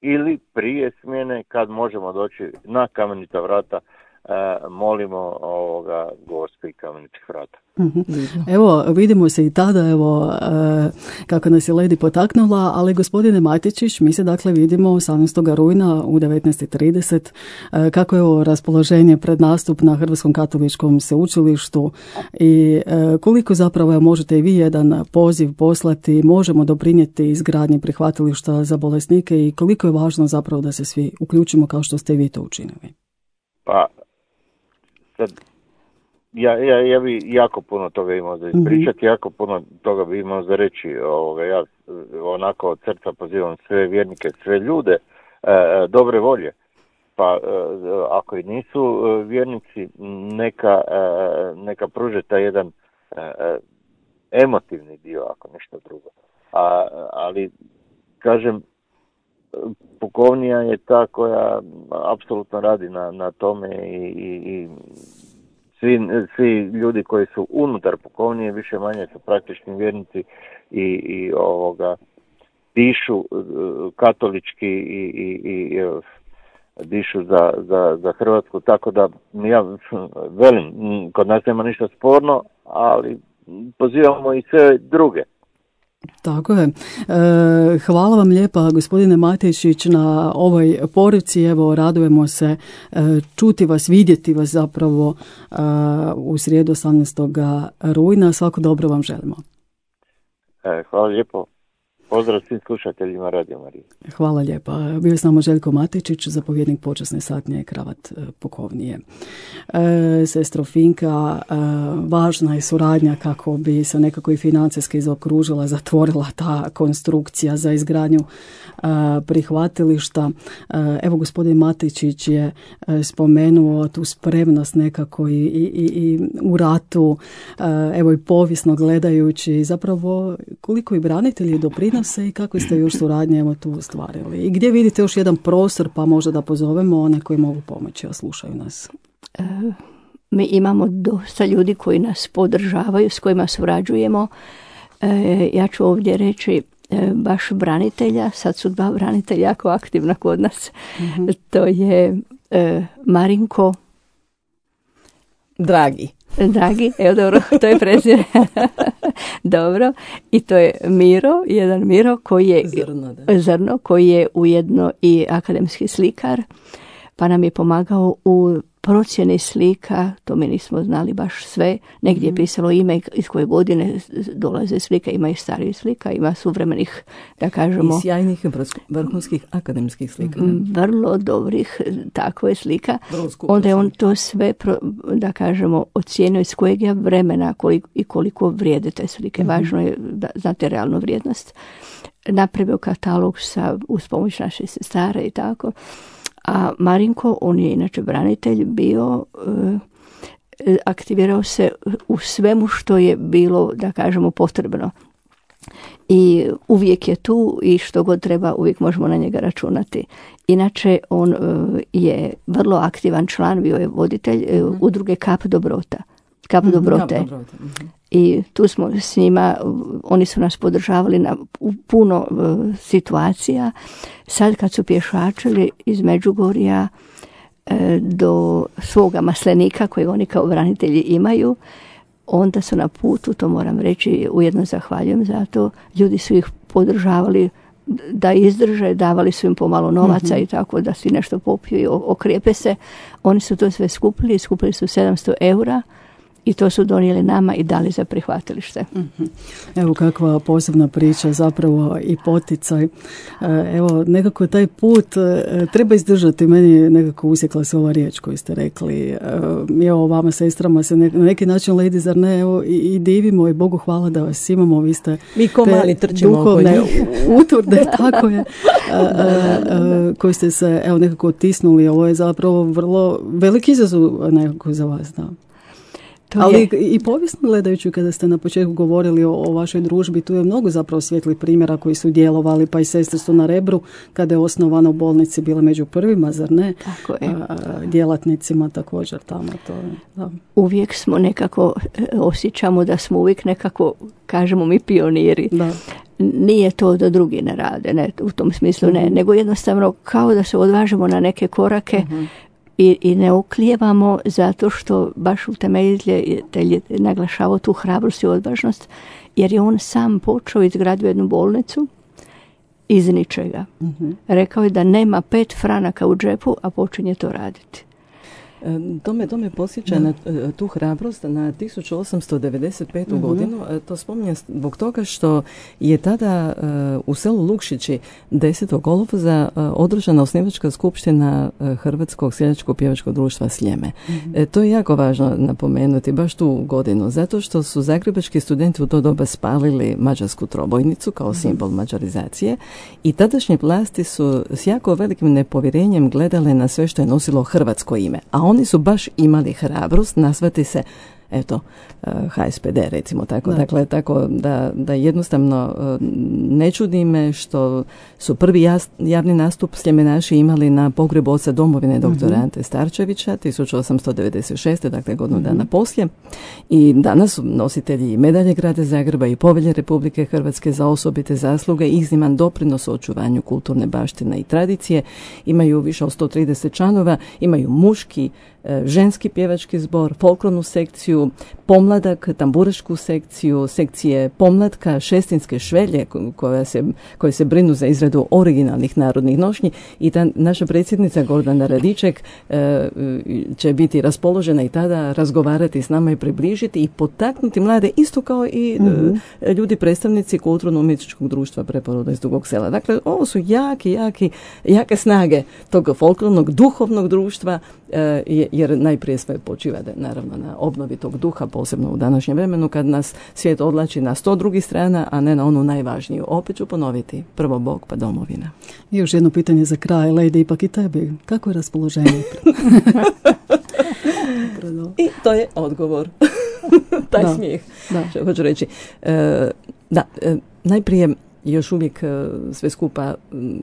ili prije smjene, kad možemo doći na Kamenita vrata, molimo ovoga Gospi Kamenitih vrata. Mm-hmm. Evo, vidimo se i tada, evo, kako nas je Ledi potaknula, ali gospodine Matičić, mi se dakle vidimo osamnaestog rujna u devetnaest i trideset. Kako je ovo raspoloženje pred nastup na Hrvatskom katoličkom sveučilištu i koliko zapravo možete i vi jedan poziv poslati, možemo doprinijeti izgradnji prihvatilišta za bolesnike i koliko je važno zapravo da se svi uključimo kao što ste i vi to učinili? Pa, sad, ja, ja, ja bi jako puno toga imao za ispričati, mm-hmm. jako puno toga bi imao za reći. Ovoga, ja onako od srca pozivam sve vjernike, sve ljude e, dobre volje. Pa e, ako i nisu vjernici, neka, e, neka pruže taj jedan e, emotivni dio, ako ništa drugo. A, ali, kažem, pukovnija je ta koja apsolutno radi na, na tome i, i, i svi, svi ljudi koji su unutar pukovnije više manje su praktični vjernici i, i ovoga dišu katolički i, i, i dišu za, za, za Hrvatsku, tako da ja velim, kod nas nema ništa sporno, ali pozivamo i sve druge. Tako je. E, hvala vam lijepa gospodine Matičić na ovoj poruci. Evo, radujemo se e, čuti vas, vidjeti vas zapravo e, u srijedu osamnaestog rujna. Svako dobro vam želimo. E, hvala lijepo. Pozdrav svim slušateljima Radio Marije. Hvala lijepa. Bio je s nama Željko Matičić, zapovjednik počasne satnije Kravat pukovnije. E, sestro Finka, e, važna je suradnja kako bi se nekako i financijski zaokružila, zatvorila ta konstrukcija za izgradnju e, prihvatilišta. E, evo, gospodin Matičić je e, spomenuo tu spremnost nekako i, i, i u ratu, e, evo i povijesno gledajući, zapravo koliko i branitelji doprinose i kako ste još suradnje evo tu ostvarili. I gdje vidite još jedan prostor, pa možda da pozovemo one koji mogu pomoći, a slušaju nas? E, mi imamo dosta ljudi koji nas podržavaju, s kojima surađujemo. E, ja ću ovdje reći e, baš branitelja, sad su dva branitelja jako aktivna kod nas. Mm-hmm. To je e, Marinko Dragi. Dragi, evo dobro, to je prezir. Dobro, i to je Miro, jedan Miro koji je Zrno, da. Zrno, koji je ujedno i akademski slikar, pa nam je pomagao u procjeni slika, to mi nismo znali baš sve, negdje je pisalo ime iz koje godine dolaze slika, ima i starih slika, ima suvremenih, da kažemo... I sjajnih vrhunskih akademskih slika. Vrlo dobrih, tako je slika. Onda je on to sve, da kažemo, ocijenio iz kojeg je vremena koliko, i koliko vrijede te slike. Mm-hmm. Važno je da znate realnu vrijednost. Napravio katalog sa, uz pomoć naše sestare i tako. A Marinko, on je inače branitelj, bio, e, aktivirao se u svemu što je bilo, da kažemo, potrebno. I uvijek je tu i što god treba, uvijek možemo na njega računati. Inače, on e, je vrlo aktivan član, bio je voditelj e, udruge Kap Dobrota. Kap mm-hmm, Dobrote. Kap Dobrote. Mm-hmm. I tu smo s njima, oni su nas podržavali na u puno uh, situacija. Sad kad su pješačili iz Međugorja uh, do svoga maslenika kojeg oni kao branitelji imaju, onda su na putu, to moram reći, ujedno zahvaljujem za to, ljudi su ih podržavali da izdrže, davali su im pomalo novaca mm-hmm. i tako da si nešto popiju i okrijepe se. Oni su to sve skupili, skupili su sedamsto eura. I to su donijeli nama i dali za prihvatilište. Evo kakva posebna priča, zapravo i poticaj. Evo, nekako taj put treba izdržati. Meni nekako usjekla se ova riječ koju ste rekli. Evo, vama sestrama se na neki način, Ledi, zar ne, evo, i, i divimo i Bogu hvala da vas imamo. Vi ste Mi ko mali trčimo duhovne utvrde, tako je, a, a, a, koji ste se evo nekako otisnuli. Ovo je zapravo vrlo veliki izazov nekako za vas, da. Ali i povijesno gledajući, kada ste na početku govorili o, o vašoj družbi, tu je mnogo zapravo svijetlih primjera koji su djelovali, pa i sestre su na Rebru, kada je osnovana u bolnici, bila među prvima, zar ne? Tako je. A, djelatnicima također tamo. To, da. Uvijek smo nekako, osjećamo da smo uvijek nekako, kažemo mi, pioniri. Da. Nije to da drugi ne rade, ne, u tom smislu ne, mm-hmm. nego jednostavno kao da se odvažemo na neke korake, mm-hmm. I, i ne oklijevamo zato što baš utemeljitelj je naglašavao tu hrabrost i odvažnost, jer je on sam počeo izgradio jednu bolnicu iz ničega. Uh-huh. Rekao je da nema pet franaka u džepu, a počinje to raditi. To me, to me posjeća na tu hrabrost na tisuću osamsto devedeset petu. Mm-hmm. godinu. To spominjem zbog toga što je tada uh, u selu Lukšići desetog kolovoza uh, održana osnivačka skupština uh, Hrvatskog seljačkog pjevačkog društva Sljeme. Mm-hmm. E, to je jako važno napomenuti baš tu godinu, zato što su zagrebački studenti u to doba spalili mađarsku trobojnicu kao mm-hmm. simbol mađarizacije i tadašnje vlasti su s jako velikim nepovjerenjem gledale na sve što je nosilo hrvatsko ime, a oni su baš imali hrabrost nazvati se, eto, H S P D recimo tako. Da. Dakle, tako da, da jednostavno ne čudi me što su prvi jas, javni nastup sljemenaši imali na pogrebu oca domovine doktora mm-hmm. Ante Starčevića tisuću osamsto devedeset šeste. dakle godinu mm-hmm. dana poslije. I danas su nositelji medalje Grada Zagreba i Povelje Republike Hrvatske za osobite zasluge i izniman doprinos u očuvanju kulturne baštine i tradicije. Imaju više od sto trideset članova, imaju muški, ženski pjevački zbor, folklornu sekciju, pomladak, tamburašku sekciju, sekcije pomlatka, šestinske švelje koja se, koje se brinu za izradu originalnih narodnih nošnji i ta naša predsjednica Gordana Radiček e, će biti raspoložena i tada razgovarati s nama i približiti i potaknuti mlade isto kao i mm-hmm. e, ljudi predstavnici kulturno-umjetničkog društva Preporoda iz Dugog Sela. Dakle, ovo su jaki, jaki, jake snage tog folklornog, duhovnog društva e, jer najprije sve počiva da, naravno na obnovi tog duha, posebno u današnjem vremenu kad nas svijet odlači na sto drugih strana, a ne na onu najvažniju. Opet ću ponoviti, prvo Bog pa domovina. I još jedno pitanje za kraj, Lejde, ipak i tebi. Kako je raspoloženje? I to je odgovor. Taj da, smijeh. Da. Što hoću reći. E, da, e, najprije još uvijek sve skupa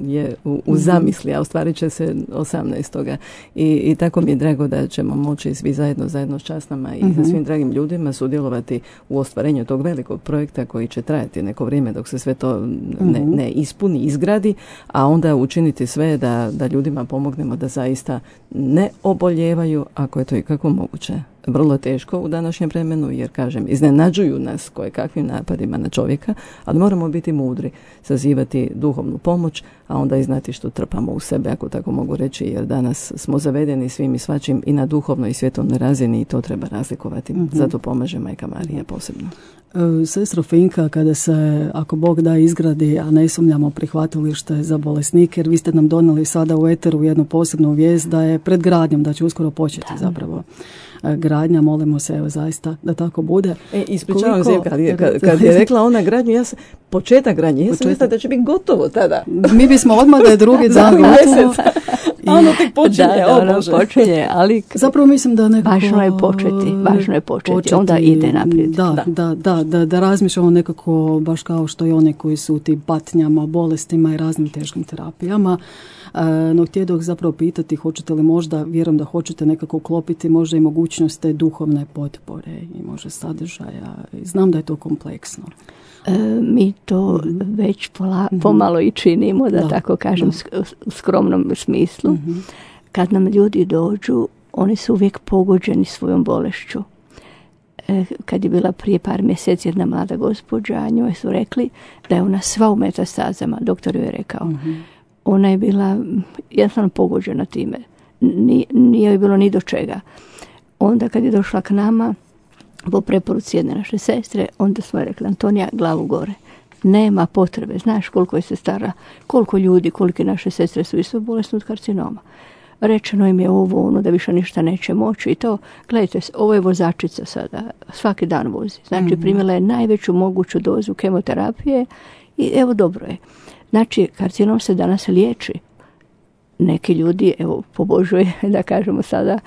je u, u zamisli, a ostvarit će se osamnaestoga. I, i tako mi je drago da ćemo moći svi zajedno, zajedno s časnama i mm-hmm. sa svim dragim ljudima sudjelovati u ostvarenju tog velikog projekta koji će trajati neko vrijeme dok se sve to ne, mm-hmm. ne ispuni, izgradi, a onda učiniti sve da, da ljudima pomognemo da zaista ne oboljevaju, ako je to i kako moguće. Vrlo teško u današnjem vremenu, jer kažem, iznenađuju nas koje kakvim napadima na čovjeka, ali moramo biti mudri, sazivati duhovnu pomoć, a onda i znati što trpamo u sebe, ako tako mogu reći, jer danas smo zavedeni svim i svačim i na duhovnoj i svjetovnoj razini i to treba razlikovati. Mm-hmm. Zato pomaže Majka Marija posebno. E, sestro Finka, kada se, ako Bog da, izgradi, a ne sumnjamo, prihvatilište za bolesnike, jer vi ste nam donijeli sada u eteru jednu posebnu vijest da je pred gradnjom, da će uskoro početi zapravo gradnja, molimo se, evo, zaista da tako bude. E, ispričavam se, kad je, kad, kad je rekla ona gradnju, ja sam, početak gradnje, ja sam mislila da će biti gotovo tada. Mi bismo odmah da je drugi dan gotovo. A ono tek počinje, da, da, ono počinje, ali zapravo mislim da nekako važno je početi, važno je početi, početi onda ide naprijed. Da, da, da, da, da razmišljamo nekako baš kao što i oni koji su u tim patnjama, bolestima i raznim teškim terapijama. No htjedoh zapravo pitati, hoćete li možda, vjerujem da hoćete nekako uklopiti možda i mogućnost te duhovne potpore i možda sadržaja. Znam da je to kompleksno. E, mi to već pola, pomalo i činimo, da, da tako kažem, da. U skromnom smislu. Mm-hmm. Kad nam ljudi dođu, oni su uvijek pogođeni svojom bolešću. E, kad je bila prije par mjeseci jedna mlada gospođa, njoj su rekli da je ona sva u metastazama, doktor joj je rekao. Mm-hmm. Ona je bila jednostavno pogođena time. Nije, nije joj bilo ni do čega. Onda kad je došla k nama, po preporuci jedne naše sestre, onda smo rekli, Antonija, glavu gore. Nema potrebe. Znaš koliko je sestara, koliko ljudi, kolike naše sestre su isto bolesne od karcinoma. Rečeno im je ovo, ono, da više ništa neće moći i to. Gledajte, ovo je vozačica sada, svaki dan vozi. Znači, mm-hmm. primila je najveću moguću dozu kemoterapije i evo, dobro je. Znači, karcinom se danas liječi. Neki ljudi, evo, pobožuje, da kažemo sada,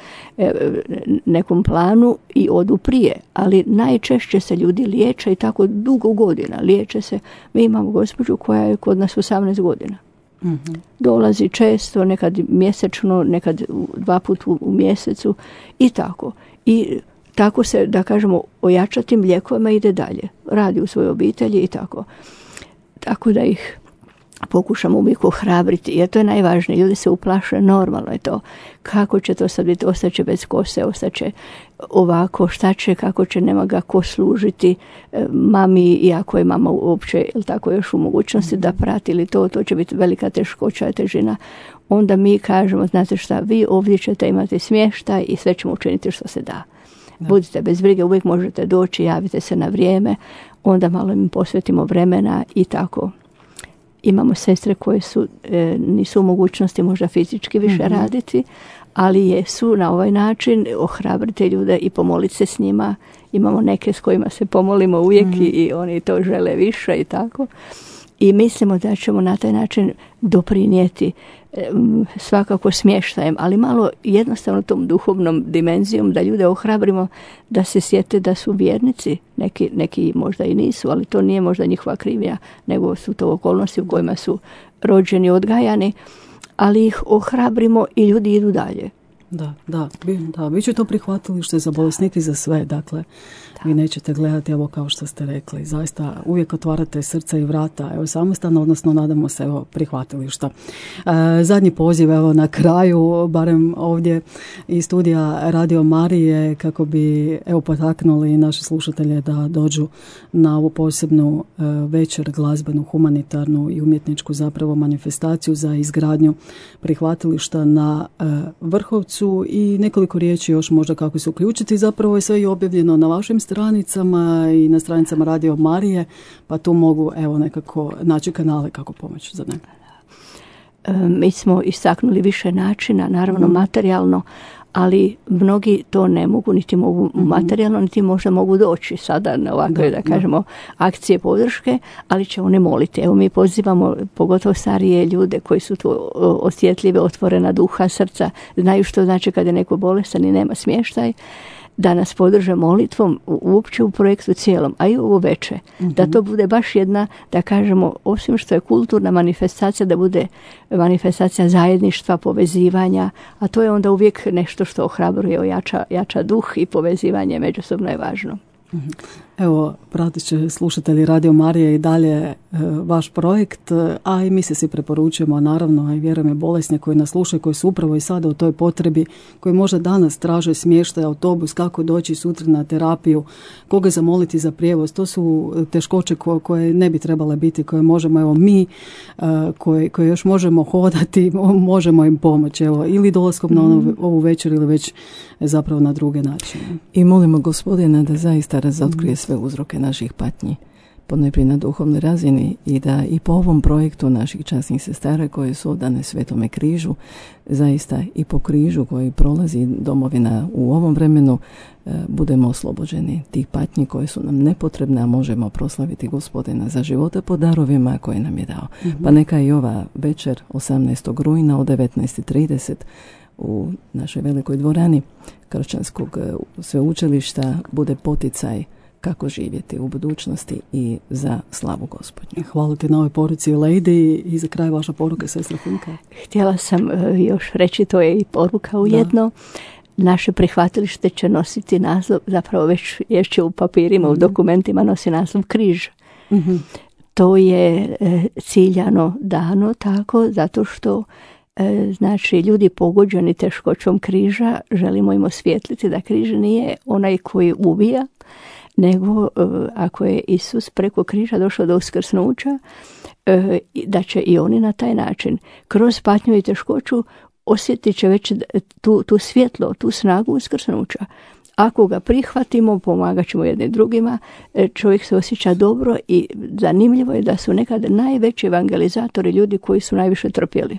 nekom planu i odu prije. Ali najčešće se ljudi liječe i tako dugo godina liječe se. Mi imamo gospođu koja je kod nas osamnaest godina. Mm-hmm. Dolazi često, nekad mjesečno, nekad dva put u, u mjesecu i tako. I tako se, da kažemo, ojačatim lijekovima ide dalje. Radi u svojoj obitelji i tako. Tako da ih pokušamo uvijek ohrabriti, jer to je najvažnije. Ljudi se uplaše, normalno je to. Kako će to sad biti? Ostaće bez kose, ostaće ovako, šta će, kako će, nema ga ko služiti mami, iako je mama uopće, ili tako, još u mogućnosti da prati ili to, to će biti velika teškoća i težina. Onda mi kažemo, znate šta, vi ovdje ćete imati smještaj i sve ćemo učiniti što se da. Da. Budite bez brige, uvijek možete doći, javite se na vrijeme, onda malo im posvetimo vremena i tako. Imamo sestre koje su, e, nisu u mogućnosti možda fizički više mm-hmm. raditi, ali jesu na ovaj način ohrabriti ljude i pomoliti se s njima. Imamo neke s kojima se pomolimo uvijek mm-hmm. i, i oni to žele više i tako. I mislimo da ćemo na taj način doprinijeti svakako smještajem, ali malo jednostavno tom duhovnom dimenzijom da ljude ohrabrimo da se sjete da su vjernici, neki, neki možda i nisu, ali to nije možda njihova krivnja, nego su to okolnosti u kojima su rođeni, odgajani, ali ih ohrabrimo i ljudi idu dalje. Da, da, da, vi ćete to prihvatili što je za bolesnike i za sve, dakle, da. Vi nećete gledati, evo kao što ste rekli, zaista uvijek otvarate srca i vrata, evo samostalno, odnosno nadamo se, evo, prihvatilišta. E, zadnji poziv, evo, na kraju, barem ovdje iz studija Radio Marije, kako bi, evo, potaknuli naše slušatelje da dođu na ovu posebnu e, večer, glazbenu, humanitarnu i umjetničku zapravo manifestaciju za izgradnju prihvatilišta na e, Vrhovcu. I nekoliko riječi još možda kako se uključiti. Zapravo je sve i objavljeno na vašim stranicama i na stranicama Radio Marije, pa tu mogu, evo, nekako naći kanale kako pomoći za neke. Mi smo istaknuli više načina, naravno mm. materijalno, ali mnogi to ne mogu, niti mogu mm-hmm. materijalno, niti možda mogu doći sada na ovakve, da, da kažemo, da. akcije podrške, ali će one moliti. Evo, mi pozivamo pogotovo starije ljude koji su tu osjetljive, otvorena duha, srca, znaju što znači kada je neko bolestan i nema smještaj, da nas podrže molitvom uopće u projektu cijelom, a i ovo veče. Mm-hmm. Da to bude baš jedna, da kažemo, osim što je kulturna manifestacija, da bude manifestacija zajedništva, povezivanja, a to je onda uvijek nešto što ohrabruje, ojača, jača duh i povezivanje međusobno je važno. Mm-hmm. Evo, pratit će slušatelji Radio Marije i dalje e, vaš projekt, a i mi se svi preporučujemo, naravno, i vjerujem je bolesne koji nas slušaju, koji su upravo i sada u toj potrebi, koji možda danas traže smještaj, autobus, kako doći sutra na terapiju, koga zamoliti za prijevoz. To su teškoće koje, koje ne bi trebale biti, koje možemo, evo mi, e, koje, koje još možemo hodati, možemo im pomoći, evo, ili dolaskom na onu, ovu večer ili već zapravo na druge načine. I molimo Gospodina da zaista razotkrije sve uzroke naših patnji, ponajprije na duhovnoj razini, i da i po ovom projektu naših časnih sestara koje su odane Svetome križu, zaista i po križu koji prolazi domovina u ovom vremenu, budemo oslobođeni tih patnji koje su nam nepotrebne, a možemo proslaviti Gospodina za živote po darovima koje nam je dao. Mm-hmm. Pa neka i ova večer osamnaestog rujna od devetnaest i trideset u našoj velikoj dvorani Kršćanskog sveučilišta bude poticaj kako živjeti u budućnosti i za slavu Gospodnju. Hvala ti na ovoj poruci, Lady, i za kraj vaša poruka, sestra Funka. Htjela sam još reći, to je i poruka ujedno. Da. Naše prihvatilište će nositi naslov, zapravo već ješće u papirima, mm-hmm. u dokumentima nosi naslov križ. Mm-hmm. To je e, ciljano dano tako, zato što e, znači ljudi pogođeni teškoćom križa, želimo im osvijetliti da križ nije onaj koji ubija, nego ako je Isus preko križa došao do uskrsnuća, da će i oni na taj način, kroz patnju i teškoću, osjetit će već tu, tu svjetlo, tu snagu uskrsnuća. Ako ga prihvatimo, pomagat ćemo jedni drugima, čovjek se osjeća dobro i zanimljivo je da su nekad najveći evangelizatori ljudi koji su najviše trpjeli.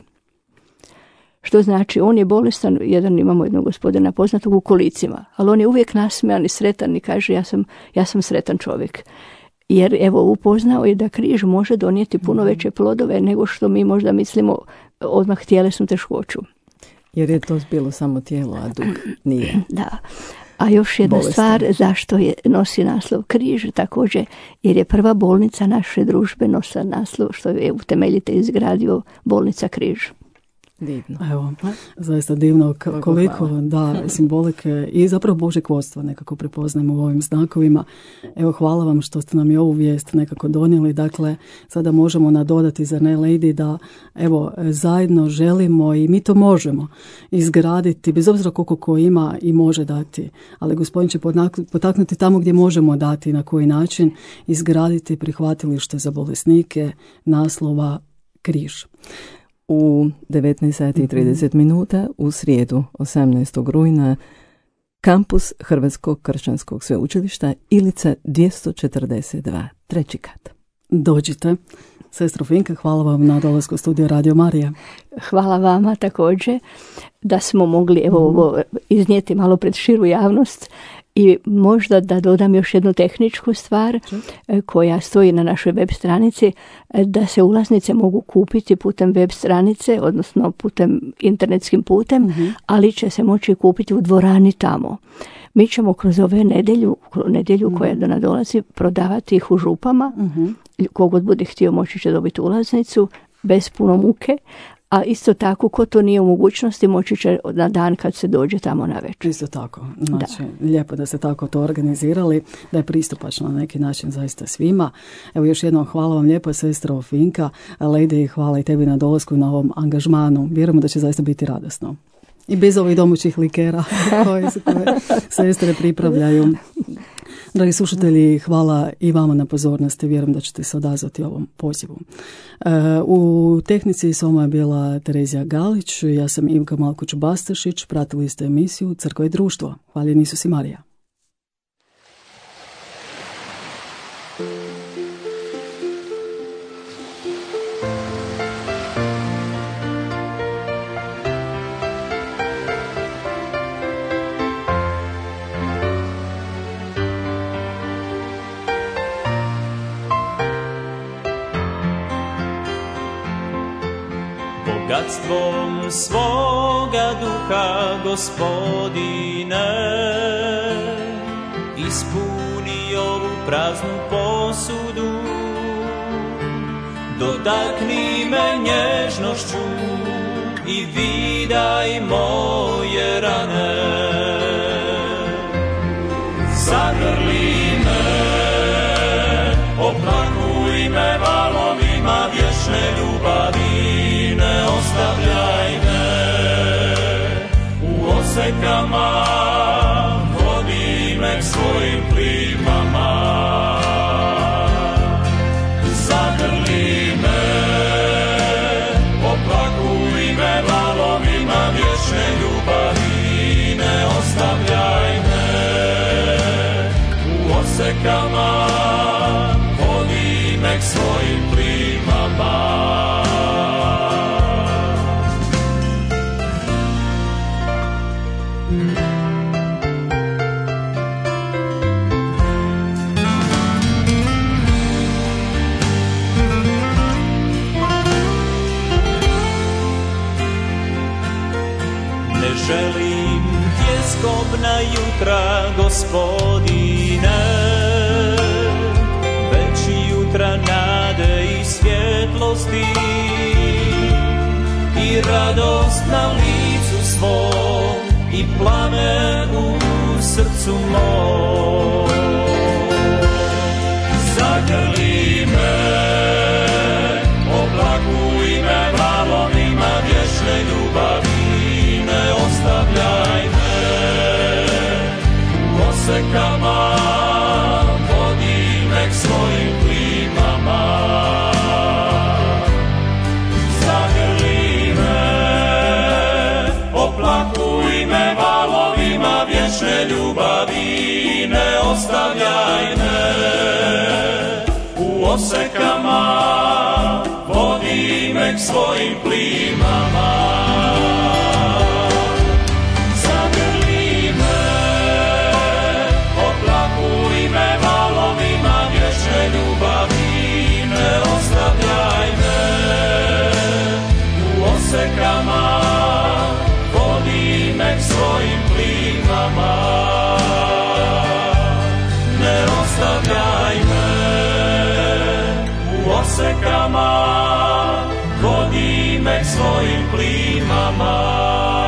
Što znači, on je bolestan, jedan imamo jednog gospodina poznatog u kolicima, ali on je uvijek nasmejan i sretan i kaže ja sam, ja sam sretan čovjek. Jer evo upoznao je da križ može donijeti puno veće plodove nego što mi možda mislimo odmah tjelesnu teškoću. Jer je to bilo samo tijelo, a duh nije. Da. A još jedna bolestan. Stvar, zašto je nosi naslov križ, također, jer je prva bolnica naše družbe nosila naslov što je utemeljitelj izgradio, bolnica križ. Divno. Evo, zaista divno k- koliko da simbolike i zapravo Božjeg vodstva nekako prepoznajemo u ovim znakovima. Evo, hvala vam što ste nam i ovu vijest nekako donijeli. Dakle, sada možemo nadodati, za ne Lady, da evo, zajedno želimo i mi to možemo izgraditi, bez obzira koliko ko ima i može dati. Ali Gospodin će potaknuti tamo gdje možemo dati, na koji način izgraditi prihvatilište za bolesnike, naslova križ. U devetnaest sati i trideset minuta u srijedu osamnaestog rujna kampus Hrvatskog kršćanskog sveučilišta, Ilica dvjesto četrdeset dva, treći kat. Dođite. Sestro Finka, hvala vam na dolasku u studio Radio Marija. Hvala vama također da smo mogli evo ovo iznijeti malo pred širu javnost. I možda da dodam još jednu tehničku stvar koja stoji na našoj web stranici, da se ulaznice mogu kupiti putem web stranice, odnosno putem internetskim putem, uh-huh. ali će se moći kupiti u dvorani tamo. Mi ćemo kroz ove nedjelju, nedjelju uh-huh. koja do nas dolazi, prodavati ih u župama. Uh-huh. Kogod bude htio moći će dobiti ulaznicu bez puno muke. A isto tako, ko to nije u mogućnosti, moći će na dan kad se dođe tamo na večer. Isto tako. Znači, da. Lijepo da ste tako to organizirali, da je pristupačno na neki način zaista svima. Evo, još jednom hvala vam lijepo, sestro Finka. Lady, hvala i tebi na dolasku i na ovom angažmanu. Vjerujemo da će zaista biti radosno. I bez ovih domaćih likera koje se koje sestre pripravljaju. Dragi slušatelji, hvala i vama na pozornosti. Vjerujem da ćete se odazvati ovom pozivu. U tehnici s vama je bila Terezija Galić, ja sam Ivka Malkuć-Bastašić, pratili ste emisiju Crkva i društvo. Hvaljen Isus i Marija. Bogatstvom svoga duha, Gospodine, ispuni ovu praznu posudu, dotakni me nježnošću i vidaj moje rane. Zagrli me, oplakuj me valovima vječne ljubavi, ne ostavljaj me u osekama, vodi me k svojim plimama. Zagrli me, oplakuj me valovima vječne ljubavi, ne ostavljaj me u osekama, vodi me k svojim plimama. Želim tjeskobna jutra, Gospodine, već jutra nade i svjetlosti i radost na licu svom i plamen u srcu mom. Zagrli me, oblakuj me valovima vječne ljubavi, ne ostavljaj me u osekama, vodi me k svojim plimama. Zagrli me, oplakuj me valovima vječne ljubavi, ne ostavljaj me u osekama, vodi me k svojim plimama. Osekama, vodi me k svojim plimama. Ne ostavljaj me u osekama, vodi me svojim plimama.